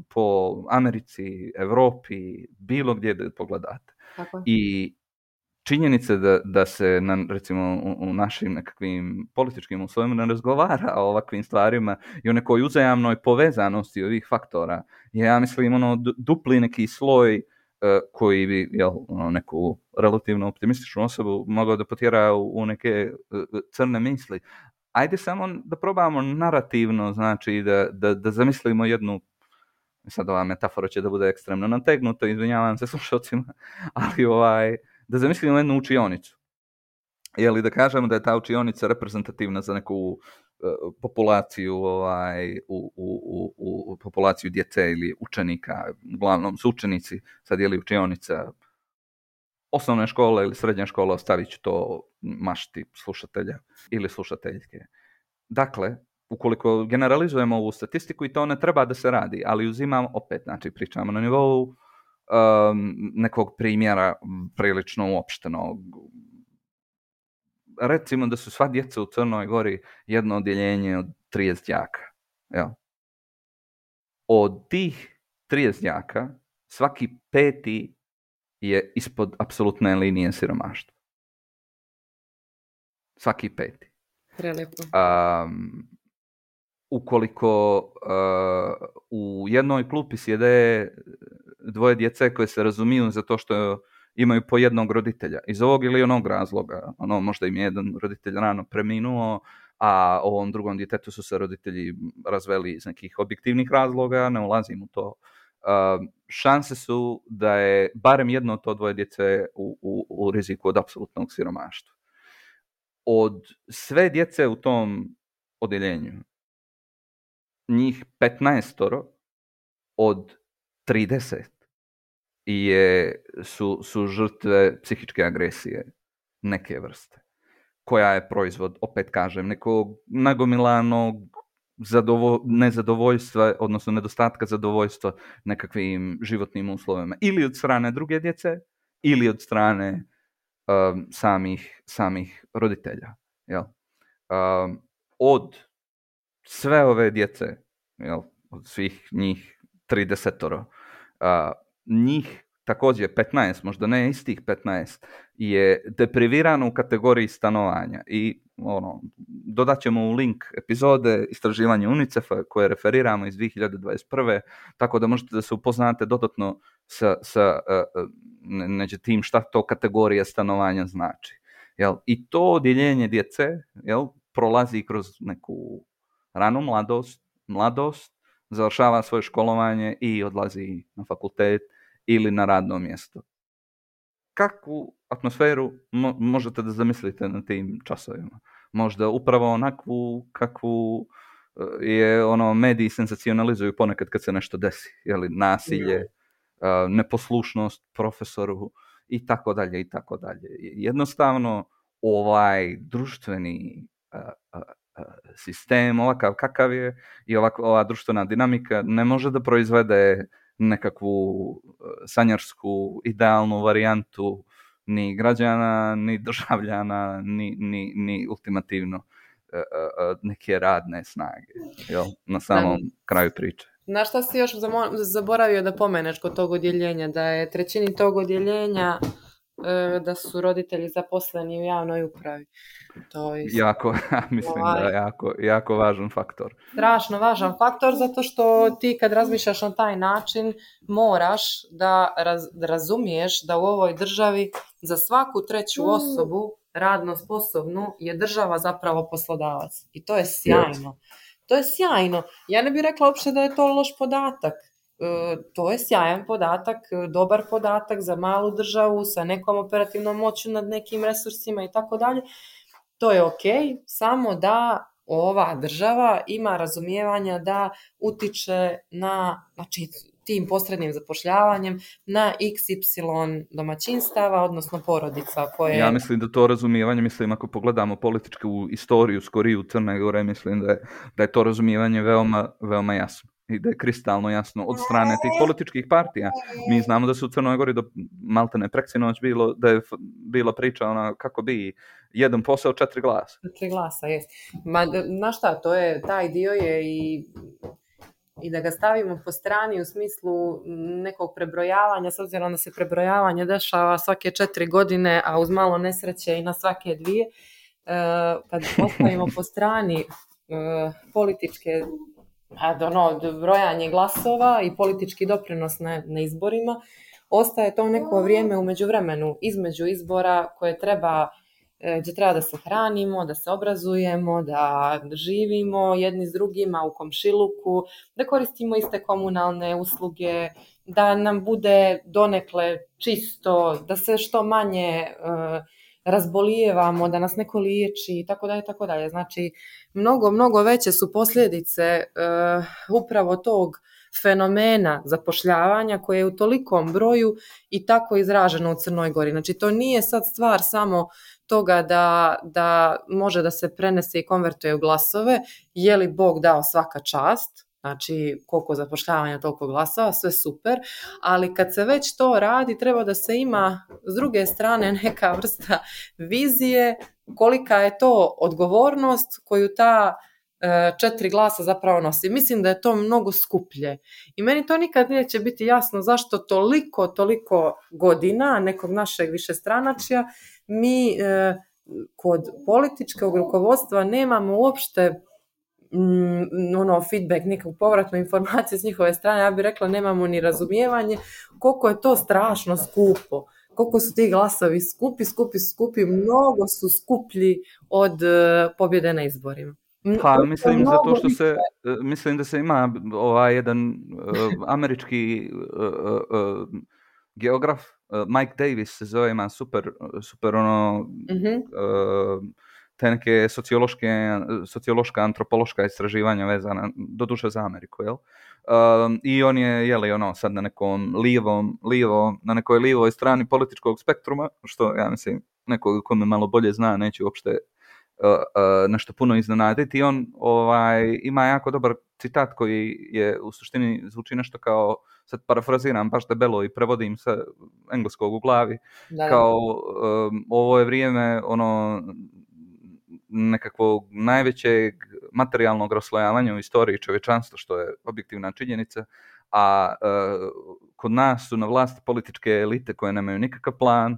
po Americi, Europi, bilo gdje da pogledate. Tako. I činjenica da se recimo u našim nekakvim političkim uslovima ne razgovara o ovakvim stvarima i o nekoj uzajamnoj povezanosti ovih faktora je, ja mislim, dupli neki sloj koji bi neku relativno optimističnu osobu mogao da potjera u neke crne misli. Ajde samo da probamo narativno, znači da zamislimo jednu, sad ova metafora će da bude ekstremno nategnuta, izvinjavam se slušalcima, ali da zamislimo jednu učionicu. Da kažemo da je ta učionica reprezentativna za neku populaciju, u populaciju djece ili učenika, uglavnom su učenici, sad učionica osnovne škole ili srednje škole, ostavit ću to mašti slušatelja ili slušateljke. Dakle, ukoliko generalizujemo ovu statistiku, i to ne treba da se radi, ali uzimam opet, znači pričamo na nivou nekog primjera prilično uopštenog. Recimo da su sva djeca u Crnoj Gori jedno odjeljenje od 30 đaka. Od tih 30 đaka svaki 5. je ispod apsolutne linije siromaštva. Svaki 5. Prelijepo. Ukoliko u jednoj klupi sjede 2 djece koje se razumiju za to što imaju po jednog roditelja, iz ovog ili onog razloga, možda im je jedan roditelj rano preminuo, a ovom drugom djetetu su se roditelji razveli iz nekih objektivnih razloga, ne ulazim u to. Šanse su da je barem jedno od to 2 djece u riziku od apsolutnog siromaštva. Od sve djece u tom odjeljenju, njih 15 od 30 su žrtve psihičke agresije neke vrste, koja je proizvod, opet kažem, nekog nagomilanog nezadovoljstva, odnosno nedostatka zadovoljstva nekakvim životnim uslovima, ili od strane druge djece, ili od strane samih roditelja. Od sve ove djece, od svih njih 30, njih također 15, možda ne istih 15, je deprivirano u kategoriji stanovanja. I dodat ćemo u link epizode istraživanja UNICEF-a koje referiramo iz 2021. Tako da možete da se upoznate dodatno sa tim šta to kategorija stanovanja znači. Jel? I to odjeljenje djece, jel, prolazi kroz neku ranu mladost, završava svoje školovanje i odlazi na fakultet ili na radno mjesto. Kakvu atmosferu možete da zamislite na tim časovima? Možda upravo onakvu kakvu je mediji senzacionalizuju ponekad kad se nešto desi. Jeli, nasilje, neposlušnost profesoru i tako dalje i tako dalje. Jednostavno ovaj društveni sistem ovakav kakav je i ova društvena dinamika ne može da proizvede nekakvu sanjarsku idealnu varijantu ni građana, ni državljana, ni ultimativno neke radne snage, jel, na samom kraju priče. Na šta si još zaboravio da pomeneš kod tog odjeljenja, da je trećini tog odjeljenja da su roditelji zaposleni u javnoj upravi. To je mislim da je jako važan faktor. Strašno važan faktor, zato što ti kad razmišljaš na taj način moraš da razumiješ da u ovoj državi za svaku treću osobu radno sposobnu je država zapravo poslodavac. I to je sjajno. To je sjajno. Ja ne bih rekla uopće da je to loš podatak. To je sjajan podatak, dobar podatak za malu državu sa nekom operativnom moću nad nekim resursima i tako dalje. To je ok, samo da ova država ima razumijevanja da utiče na, znači, tim posrednim zapošljavanjem na XY domaćinstava, odnosno porodica koje... Ja mislim da to razumijevanje, ako pogledamo političku istoriju skoriju Crne Gore, mislim da je to razumijevanje veoma, veoma jasno. I da je kristalno jasno od strane tih političkih partija. Mi znamo da su u Crnoj Gori do maltene preksinoć da je bila priča kako bi jedan posao 4 glasa. 4 glasa, jest. Znaš šta, taj dio je i da ga stavimo po strani u smislu nekog prebrojavanja, s obzirom da se prebrojavanje dešava svake 4 godine, a uz malo nesreće i na svake 2. Kad postavimo po strani političke brojanje glasova i politički doprinos na izborima, ostaje to neko vrijeme u međuvremenu između izbora gdje treba da se hranimo, da se obrazujemo, da živimo jedni s drugima u komšiluku, da koristimo iste komunalne usluge, da nam bude donekle čisto, da se što manje razbolijevamo, da nas neko liječi i tako dalje, tako dalje. Znači, mnogo veće su posljedice upravo tog fenomena zapošljavanja koje je u tolikom broju i tako izraženo u Crnoj Gori. Znači, to nije sad stvar samo toga da može da se prenese i konvertuje u glasove, je li Bog dao svaka čast, znači koliko zapošljavanja, toliko glasova, sve super, ali kad se već to radi, treba da se ima s druge strane neka vrsta vizije kolika je to odgovornost koju ta 4 glasa zapravo nosi. Mislim da je to mnogo skuplje. I meni to nikad neće biti jasno zašto toliko godina nekog našeg višestranačja mi kod političkog rukovodstva nemamo uopšte feedback, nikakvu povratnu informaciju s njihove strane. Ja bih rekla nemamo ni razumijevanje koliko je to strašno skupo, koliko su ti glasovi skupi, mnogo su skuplji od pobjede na izborima. Pa mislim da se ima jedan američki geograf, Mike Davis se zove, ima super te neke sociološka, antropološka istraživanja vezana doduše za Ameriku, jel? I on je, sad na nekom na nekoj lijevoj strani političkog spektruma, što ja mislim, neko ko me malo bolje zna, neće uopšte nešto puno iznenaditi. I on ima jako dobar citat koji je u suštini zvuči nešto kao, sad parafraziram baš debelo i prevodim sa engleskog u glavi, kao ovo je vrijeme nekakvog najvećeg materijalnog raslojavanja u istoriji čovječanstva, što je objektivna činjenica, a kod nas su na vlasti političke elite koje nemaju nikakav plan,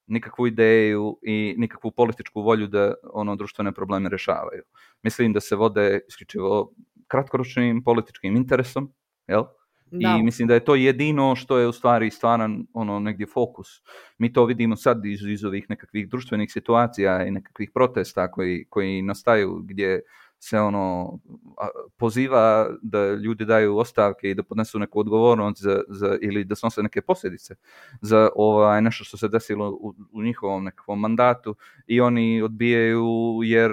nikakvu ideju i nikakvu političku volju da društvene probleme rješavaju. Mislim da se vode isključivo kratkoročnim političkim interesom, jel? Da. I mislim da je to jedino što je u stvari stvaran negdje fokus. Mi to vidimo sad iz ovih nekakvih društvenih situacija i nekakvih protesta koji nastaju gdje se poziva da ljudi daju ostavke i da podnesu neku odgovornost ili da snose neke posljedice za nešto što se desilo u njihovom nekakvom mandatu i oni odbijaju jer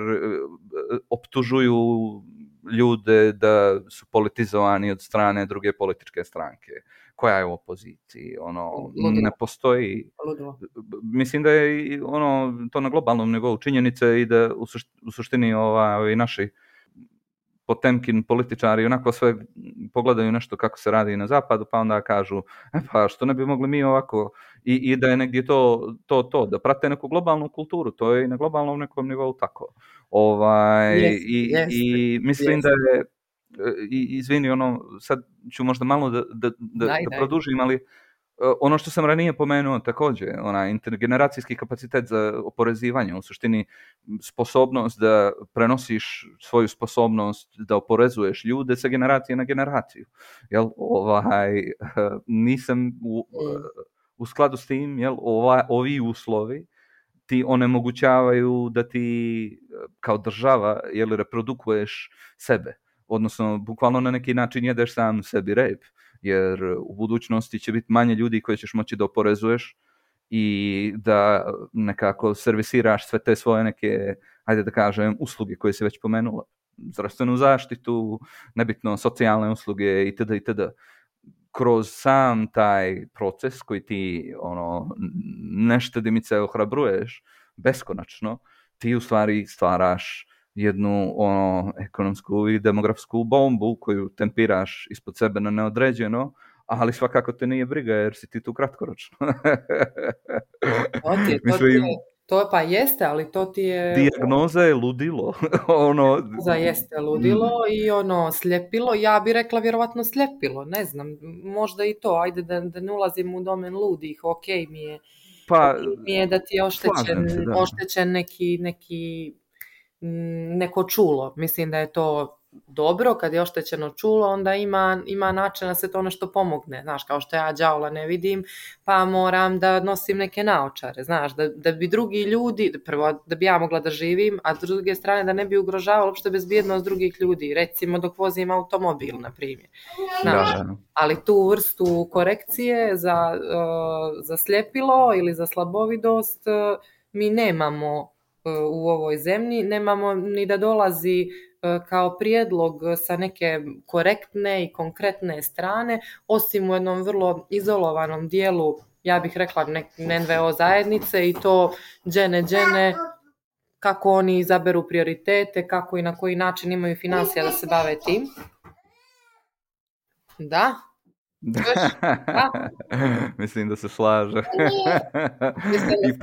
optužuju ljude da su politizovani od strane druge političke stranke. Koja je u opoziciji? Ne postoji. Ludilo. Mislim da je to na globalnom nivou činjenice i da u suštini ovi naši Potemkin političari onako sve pogledaju nešto kako se radi na zapadu, pa onda kažu pa što ne bi mogli mi ovako i da je negdje to da prate neku globalnu kulturu, to je i na globalnom nekom nivou tako. I mislim da je izvini, sad ću možda malo da produžim, ali ono što sam ranije pomenuo također, intergeneracijski kapacitet za oporezivanje, u suštini sposobnost da prenosiš svoju sposobnost da oporezuješ ljude sa generacije na generaciju. Jel, nisam u skladu s tim, jel, ovi uslovi ti onemogućavaju da ti kao država reprodukuješ sebe. Odnosno, bukvalno na neki način jedeš sam sebi rep, jer u budućnosti će biti manje ljudi koje ćeš moći da oporezuješ i da nekako servisiraš sve te svoje neke, ajde da kažem, usluge koje si već pomenula. Zdravstvenu zaštitu, nebitno socijalne usluge itd. Kroz sam taj proces koji ti neštedimice ohrabruješ beskonačno, ti u stvari stvaraš jednu ekonomsku i demografsku bombu koju tempiraš ispod sebe na neodređeno, ali svakako te nije briga jer si ti tu kratkoročno. To pa jeste, ali to ti je... Dijagnoza je ludilo. Dijagnoza jeste ludilo i sljepilo. Ja bi rekla vjerovatno sljepilo, ne znam, možda i to. Ajde da ne ulazim u domen ludih, ok mi je da ti je oštećen neko čulo. Mislim da je to dobro, kad je oštećeno čulo, onda ima način da se to nešto pomogne. Znaš, kao što ja đavola ne vidim, pa moram da nosim neke naočare. Znaš, da bi drugi ljudi, prvo da bi ja mogla da živim, a s druge strane da ne bi ugrožavalo uopšte bezbjednost drugih ljudi. Recimo dok vozim automobil, na primjer. Znaš, ali tu vrstu korekcije za sljepilo ili za slabovidost mi nemamo u ovoj zemlji, nemamo ni da dolazi kao prijedlog sa neke korektne i konkretne strane, osim u jednom vrlo izolovanom dijelu, ja bih rekla NVO zajednice i to džene, kako oni izaberu prioritete, kako i na koji način imaju financija da se bave tim. Da? Mislim da se slaže. I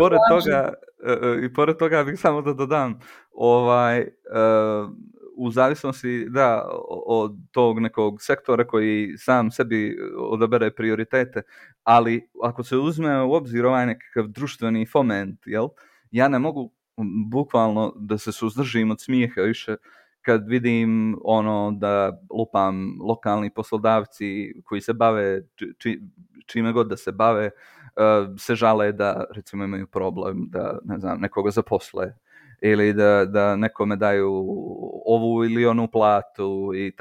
pored toga bih samo da dodam u zavisnosti od tog nekog sektora koji sam sebi odabere prioritete, ali ako se uzme u obzir nekakav društveni foment, jel, ja ne mogu bukvalno da se suzdržim od smijeha više kad vidim da lupam lokalni poslodavci koji se bave čime god da se bave, se žale da recimo imaju problem da nekoga zaposle ili da nekome daju ovu ili onu platu i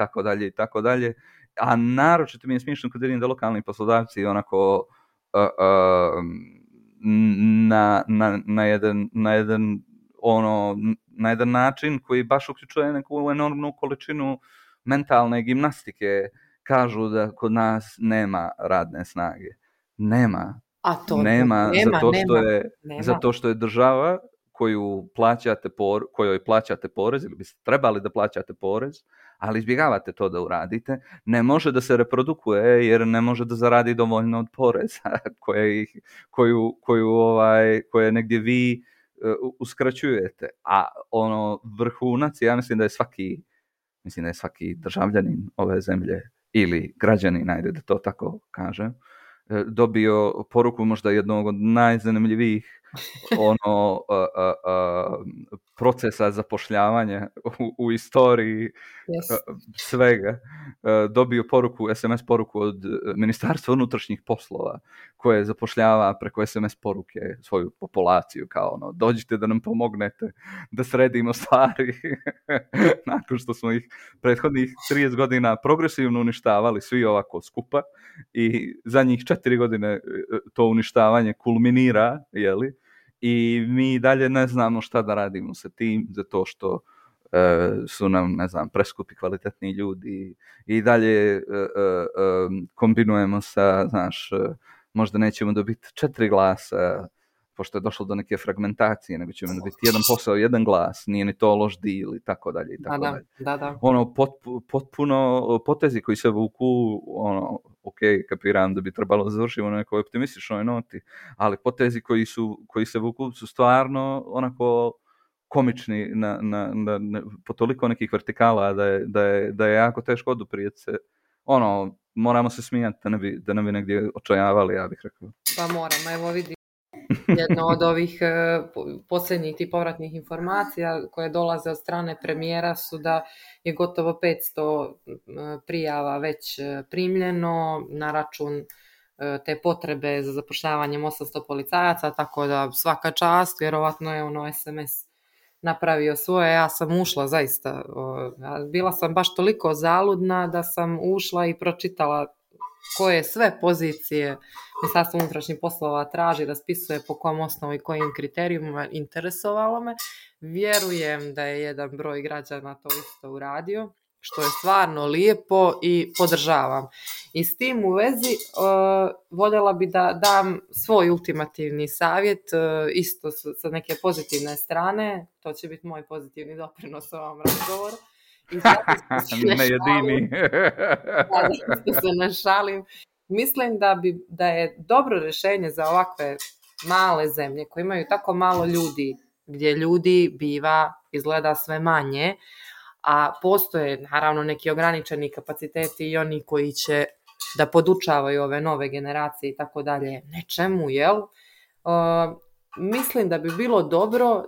tako dalje. A naročito mi je smiješno kad vidim da lokalni poslodavci onako na jedan način koji baš uključuje neku enormnu količinu mentalne gimnastike kažu da kod nas nema radne snage. Nema. Zato što je država kojoj plaćate porez ili biste trebali da plaćate porez, ali izbjegavate to da uradite, ne može da se reprodukuje jer ne može da zaradi dovoljno od poreza koje negdje vi uskraćujete. A vrhunac, ja mislim da je svaki državljanin ove zemlje ili građanin, ajde da to tako kažem, dobio poruku možda jednog od najzanimljivijih procesa zapošljavanja u istoriji svega. Dobio SMS poruku od Ministarstva unutrašnjih poslova koje zapošljava preko SMS poruke svoju populaciju kao dođite da nam pomognete da sredimo stvari nakon što smo ih prethodnih 30 godina progresivno uništavali svi ovako skupa i za njih 4 godine to uništavanje kulminira, jeli? I mi dalje ne znamo šta da radimo sa tim, zato što su nam, ne znam, preskupi kvalitetni ljudi i dalje kombinujemo sa, znaš, možda nećemo dobiti 4 glasa, pošto je došlo do neke fragmentacije, nego ćemo dobiti jedan posao, jedan glas, nije ni to loš deal i tako dalje i tako dalje. Da. Potpuno potezi koji se vuku, ok, kapiram da bi trebalo završiti na nekoj optimističnoj noti, ali potezi koji se vuku su stvarno onako komični po toliko nekih vertikala da je jako teško oduprijeti se. Moramo se smijati da ne bi negdje očajavali, ja bih rekao. Pa moramo, evo vidi. Jedno od ovih posljednjih tih povratnih informacija koje dolaze od strane premijera su da je gotovo 500 prijava već primljeno na račun te potrebe za zapošljavanjem 800 policajaca, tako da svaka čast, vjerovatno je SMS napravio svoje. Ja sam ušla zaista, bila sam baš toliko zaludna da sam ušla i pročitala koje sve pozicije Ministarstvo unutrašnjih poslova traži, raspisuje po kom osnovu i kojim kriterijima, interesovalo me. Vjerujem da je jedan broj građana to isto uradio, što je stvarno lijepo i podržavam. I s tim u vezi voljela bi da dam svoj ultimativni savjet, isto sa neke pozitivne strane. To će biti moj pozitivni doprinos ovom razgovoru. Ne jedini. Da se ne šalim. Mislim da je dobro rješenje za ovakve male zemlje koje imaju tako malo ljudi, gdje ljudi biva izgleda sve manje, a postoje naravno neki ograničeni kapaciteti i oni koji će da podučavaju ove nove generacije i tako dalje nečemu, jel? Mislim da bi bilo dobro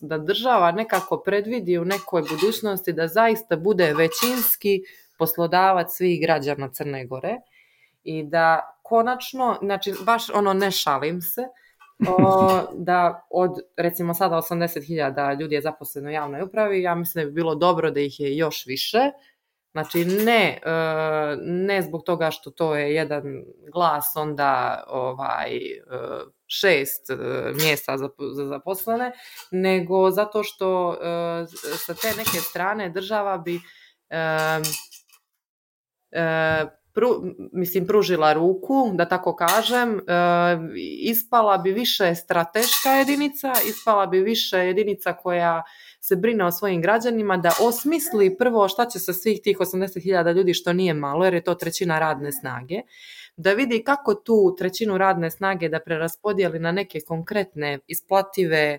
da država nekako predvidi u nekoj budućnosti da zaista bude većinski poslodavac svih građana Crne Gore i da konačno, znači baš ne šalim se, da od recimo sada 80.000 ljudi je zaposleno u javnoj upravi, ja mislim da bi bilo dobro da ih je još više. Znači ne zbog toga što to je jedan glas onda 6 mjesta za zaposlene, nego zato što sa te neke strane država bi pružila ruku, da tako kažem, ispala bi više strateška jedinica, ispala bi više jedinica koja se brine o svojim građanima, da osmisli prvo šta će sa svih tih 80.000 ljudi, što nije malo, jer je to 1/3 radne snage, da vidi kako tu 1/3 radne snage da preraspodijeli na neke konkretne, isplative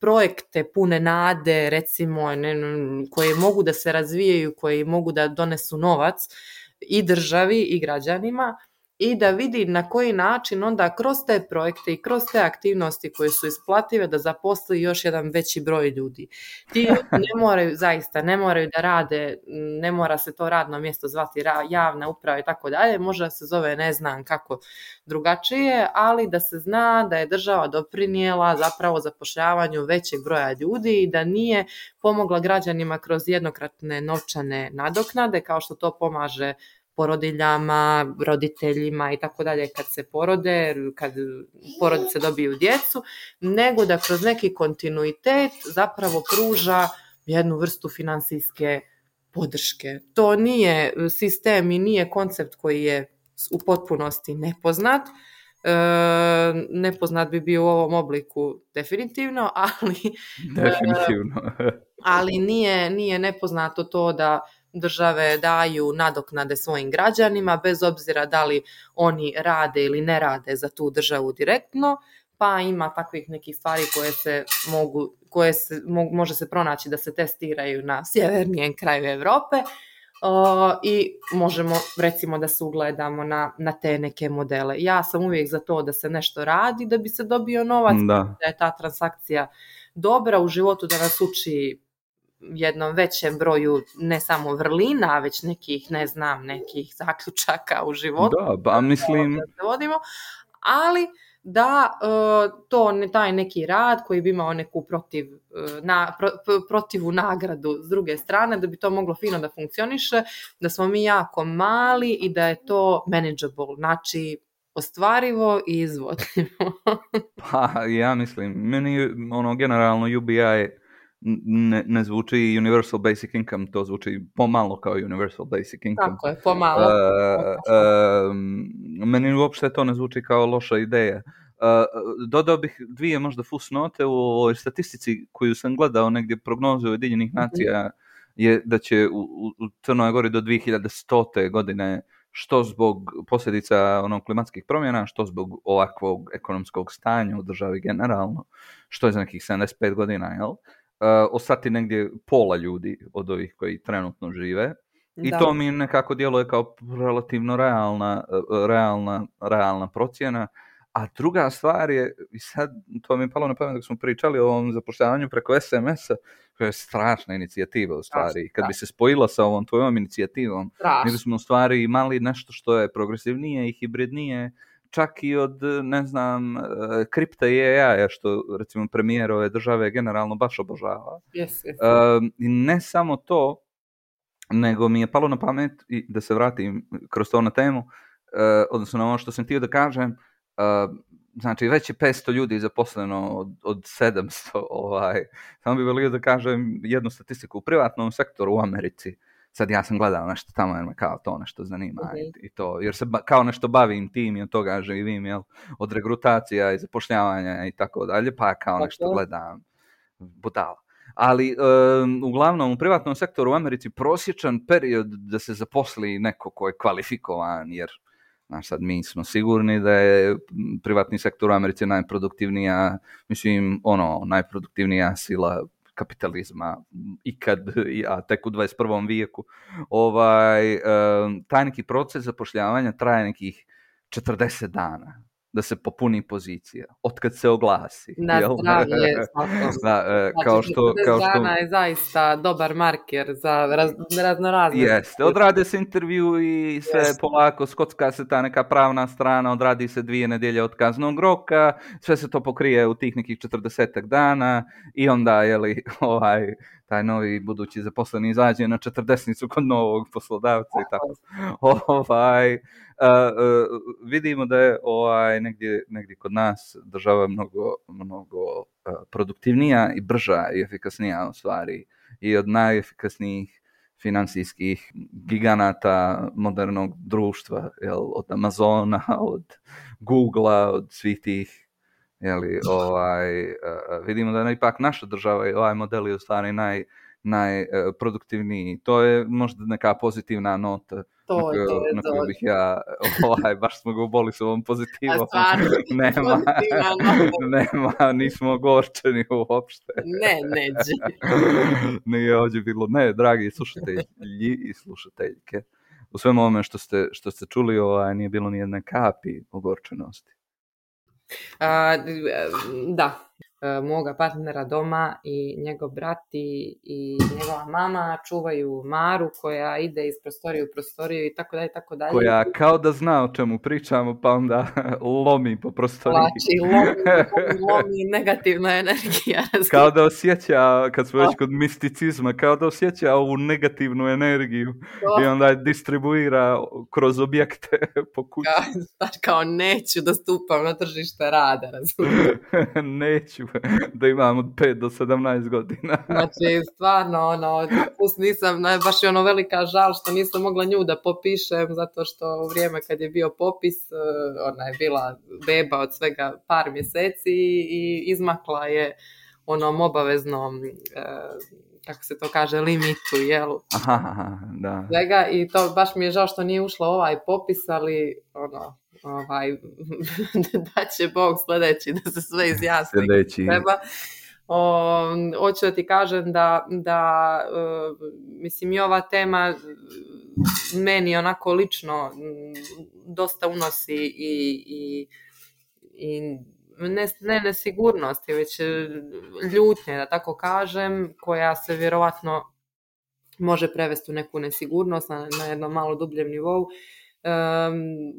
projekte pune nade, recimo, koje mogu da se razvijaju, koji mogu da donesu novac i državi i građanima, i da vidi na koji način onda kroz te projekte i kroz te aktivnosti koje su isplative da zaposli još jedan veći broj ljudi. Ti ljudi ne moraju da rade, ne mora se to radno mjesto zvati javna uprava i tako dalje, možda se zove ne znam kako drugačije, ali da se zna da je država doprinijela zapravo zapošljavanju većeg broja ljudi i da nije pomogla građanima kroz jednokratne novčane nadoknade, kao što to pomaže porodiljama, roditeljima i tako dalje kad se porode, kad porodice dobiju djecu, nego da kroz neki kontinuitet zapravo pruža jednu vrstu financijske podrške. To nije sistem i nije koncept koji je u potpunosti nepoznat. Nepoznat bi bio u ovom obliku definitivno, ali nije nepoznato to da države daju nadoknade svojim građanima, bez obzira da li oni rade ili ne rade za tu državu direktno, pa ima takvih nekih stvari koje može se pronaći da se testiraju na sjevernijem kraju Europe, I možemo recimo da se ugledamo na te neke modele. Ja sam uvijek za to da se nešto radi da bi se dobio novac, da je ta transakcija dobra u životu, da nas uči jednom većem broju ne samo vrlina, već nekih, ne znam, nekih zaključaka u životu. Da, mislim... Da se vodimo, ali da taj neki rad koji bi imao neku protivu nagradu s druge strane, da bi to moglo fino da funkcioniše, da smo mi jako mali i da je to manageable, znači ostvarivo i izvodljivo. Pa ja mislim, meni generalno UBI ne zvuči Universal Basic Income, to zvuči pomalo kao Universal Basic Income. Tako je, pomalo. Meni uopšte to ne zvuči kao loša ideja. Dodao bih dvije možda fusnote u ovoj statistici koju sam gledao negdje prognoze Ujedinjenih nacija je da će u Crnoj Gori do 2100. godine što zbog posljedica klimatskih promjena, što zbog ovakvog ekonomskog stanja u državi generalno, što je za nekih 75 godina, jel? Ostati negdje pola ljudi od ovih koji trenutno žive. I to mi nekako djeluje kao relativno realna procjena. A druga stvar je, i sad to mi je palo na pamet dok smo pričali o ovom zapošljavanju preko SMS-a, koja je strašna inicijativa u stvari. Kad bi se spojila sa ovom tvojom inicijativom, mi bismo u stvari imali nešto što je progresivnije i hibridnije, čak i od, ne znam, kripta i AI-a, što recimo premijer ove države generalno baš obožava. I ne samo to, nego mi je palo na pamet, i da se vratim kroz to na temu, odnosno na ono što sam htio da kažem, znači već je 500 ljudi zaposleno od 700, samo bi volio da kažem jednu statistiku u privatnom sektoru u Americi. Sad ja sam gledao nešto tamo jer me kao to nešto zanima i to, jer se kao nešto bavim tim i od toga živim, jel, od regrutacija i zapošljavanja i tako dalje, pa kao nešto gledam, budala. Ali uglavnom u privatnom sektoru u Americi prosječan period da se zaposli neko ko je kvalifikovan, jer znaš, sad mi smo sigurni da je privatni sektor u Americi najproduktivnija, najproduktivnija sila kapitalizma ikad, a tek u 21. vijeku. Taj neki proces zapošljavanja traje nekih 40 dana da se popuni pozicija, otkad se oglasi. Na zdravlje, kao što dana je zaista dobar marker za raznorazne. Jeste, odrade se intervju i sve polako, skocka se ta neka pravna strana, odradi se 2 nedjelje od kaznog roka, sve se to pokrije u tih nekih 40 dana i onda, taj novi budući zaposleni izađe na 40 kod novog poslodavca i tako. Vidimo da je negdje kod nas država mnogo produktivnija i brža i efikasnija u stvari i od najefikasnijih financijskih giganata modernog društva, od Amazona, od Googlea, od svih tih, vidimo da je ipak naša država i ovaj model je u stvari najproduktivniji. To je možda neka pozitivna nota na koju bih ja, baš smo ga uboli s ovom pozitivom. Nema, nismo ogorčeni uopšte. Neđe. Nije ovdje bilo, dragi slušatelji i slušateljke, u svemu ovome što ste čuli, nije bilo ni jedne kapi ogorčenosti. Da, moga partnera doma i njegov brat i njegova mama čuvaju Maru koja ide iz prostorije u prostoriju i tako dalje, tako dalje. Koja kao da zna o čemu pričamo, pa onda lomi po prostoriji. Lomi negativna energija. Kao da osjeća, kad smo već kod misticizma, kao da osjeća ovu negativnu energiju i onda je distribuira kroz objekte po kući. Kao neću da stupam na tržište rada, razumijem. Neću da imam od 5 do 17 godina. Znači, stvarno, nisam, baš je velika žal što nisam mogla nju da popišem, zato što u vrijeme kad je bio popis, ona je bila beba od svega par mjeseci i izmakla je onom obaveznom, kako se to kaže, limitu, jel? Aha, da. Svega, i to baš mi je žao što nije ušla ovaj popis, ali da će Bog sljedeći da se sve izjasni. Sljedeći. Treba. Hoću da ti kažem da mislim i ova tema meni onako lično dosta unosi i ne nesigurnosti, već ljutnje, da tako kažem, koja se vjerovatno može prevesti u neku nesigurnost na jednom malo dubljem nivou.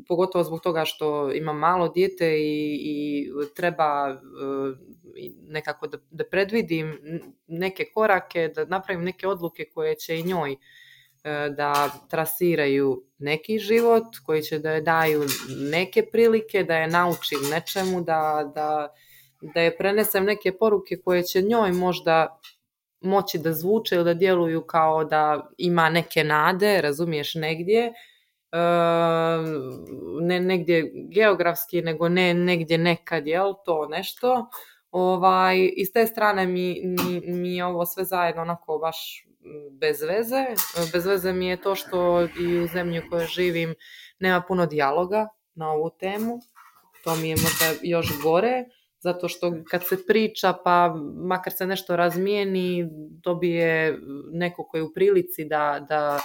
Pogotovo zbog toga što imam malo dijete i treba nekako da predvidim neke korake, da napravim neke odluke koje će i njoj da trasiraju neki život, koji će da je daju neke prilike, da je naučim nečemu, da je prenesem neke poruke koje će njoj možda moći da zvuče ili da djeluju kao da ima neke nade, razumiješ, negdje, ne negdje geografski, nego ne negdje nekad, jel, to nešto. I s te strane mi je ovo sve zajedno onako baš bez veze. Bez veze mi je to što i u zemlji u kojoj živim nema puno dijaloga na ovu temu. To mi je možda još gore, zato što kad se priča, pa makar se nešto razmijeni, dobije neko koji je u prilici da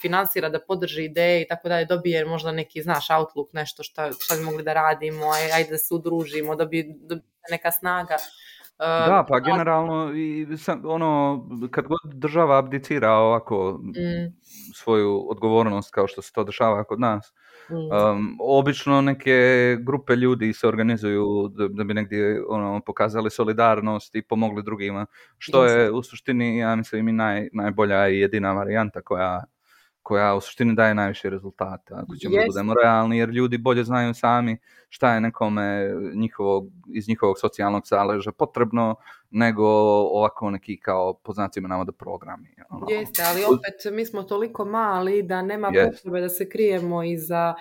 finansira, da podrži ideje i tako dalje, dobije možda neki, znaš, outlook, nešto šta bi mogli da radimo, ajde da se udružimo, dobije neka snaga. Da, pa generalno kad god država abdicira ovako svoju odgovornost kao što se to dešava kod nas, obično neke grupe ljudi se organizuju da bi negdje pokazali solidarnost i pomogli drugima, što je u suštini, ja mislim, i najbolja i jedina varijanta koja u suštini daje najviše rezultata, ako ćemo budemo realni, jer ljudi bolje znaju sami šta je nekome iz njihovog socijalnog zaleža potrebno, nego ovako neki kao po znacima navoda programi. Jeste, ali opet mi smo toliko mali da nema potrebe da se krijemo iza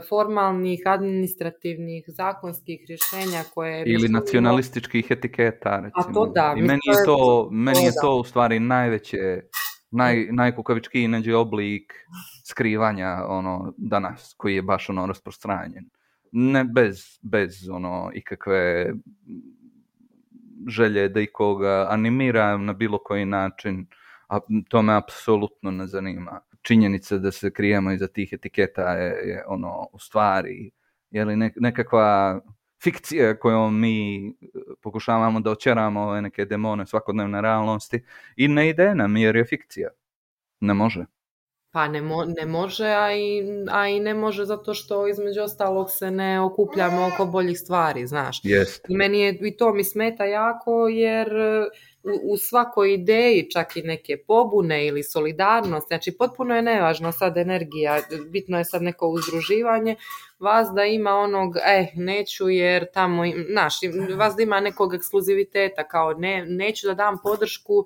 formalnih, administrativnih, zakonskih rješenja koje... Ili nacionalističkih etiketa, recimo. A to da. I meni je to u stvari najveće, najkukavičkiji neđe oblik skrivanja danas, koji je baš rasprostranjen. Ne bez ikakve želje da ikoga animiram na bilo koji način, a to me apsolutno ne zanima. Činjenica da se krijemo iza tih etiketa je u stvari nekakva fikcija kojom mi pokušavamo da očeramo ove neke demone svakodnevne realnosti i ne ide nam jer je fikcija. Ne može. Pa ne može, a i ne može zato što između ostalog se ne okupljamo oko boljih stvari, znaš. Jest. I to mi smeta jako jer u svakoj ideji, čak i neke pobune ili solidarnost, znači potpuno je nevažno sad energija, bitno je sad neko uzdruživanje, vas da ima onog, neću jer tamo, znaš, vas da ima nekog ekskluziviteta, kao neću da dam podršku,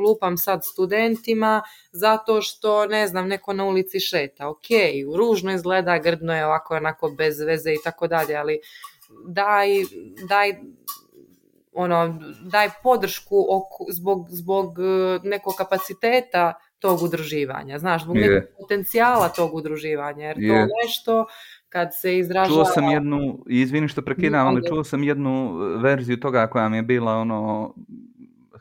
lupam sad studentima zato što, ne znam, neko na ulici šeta. Ok, ružno izgleda, grdno je ovako, onako bez veze i tako dalje, ali daj podršku zbog nekog kapaciteta tog udruživanja, znaš, zbog nekog potencijala tog udruživanja, jer to nešto kad se izražava... Čuo sam izvini što prekidam, ali čuo sam jednu verziju toga koja mi je bila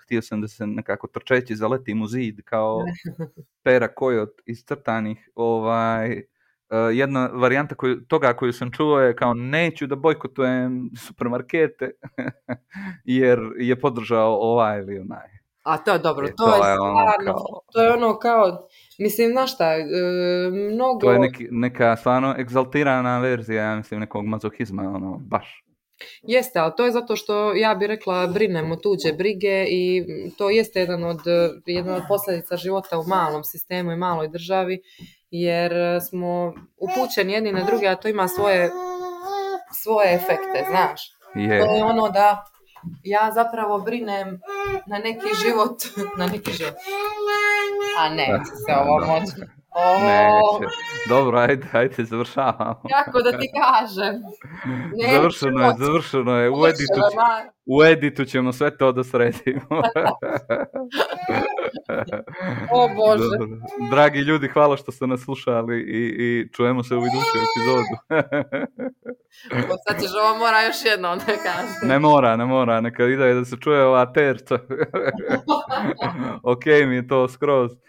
htio sam da se nekako trčeći zaletim u zid kao Pera Kojot iz crtanih. Jedna varijanta koju sam čuo je kao neću da bojkotujem supermarkete jer je podržao ovaj ili onaj. A to je dobro, to je stvarno, to je kao, mislim, znaš šta, mnogo... To je neka stvarno egzaltirana verzija, ja mislim, nekog mazohizma, baš. Jeste, ali to je zato što, ja bih rekla, brinemo tuđe brige i to jeste jedna od posljedica života u malom sistemu i maloj državi, jer smo upućeni jedni na druge, a to ima svoje efekte, znaš. To je da ja zapravo brinem na neki život. A neće se ovo moći. Neće. Dobro, ajde, završavamo. Kako da ti kažem? Završeno je, uvedi U editu ćemo sve to da sredimo. O Bože. Dobro. Dragi ljudi, hvala što ste nas slušali i čujemo se u idućoj epizodu. Sad ćeš ovo mora još jednom da kažem. Ne mora, neka ide da se čuje ova terca. Ok mi je to skroz.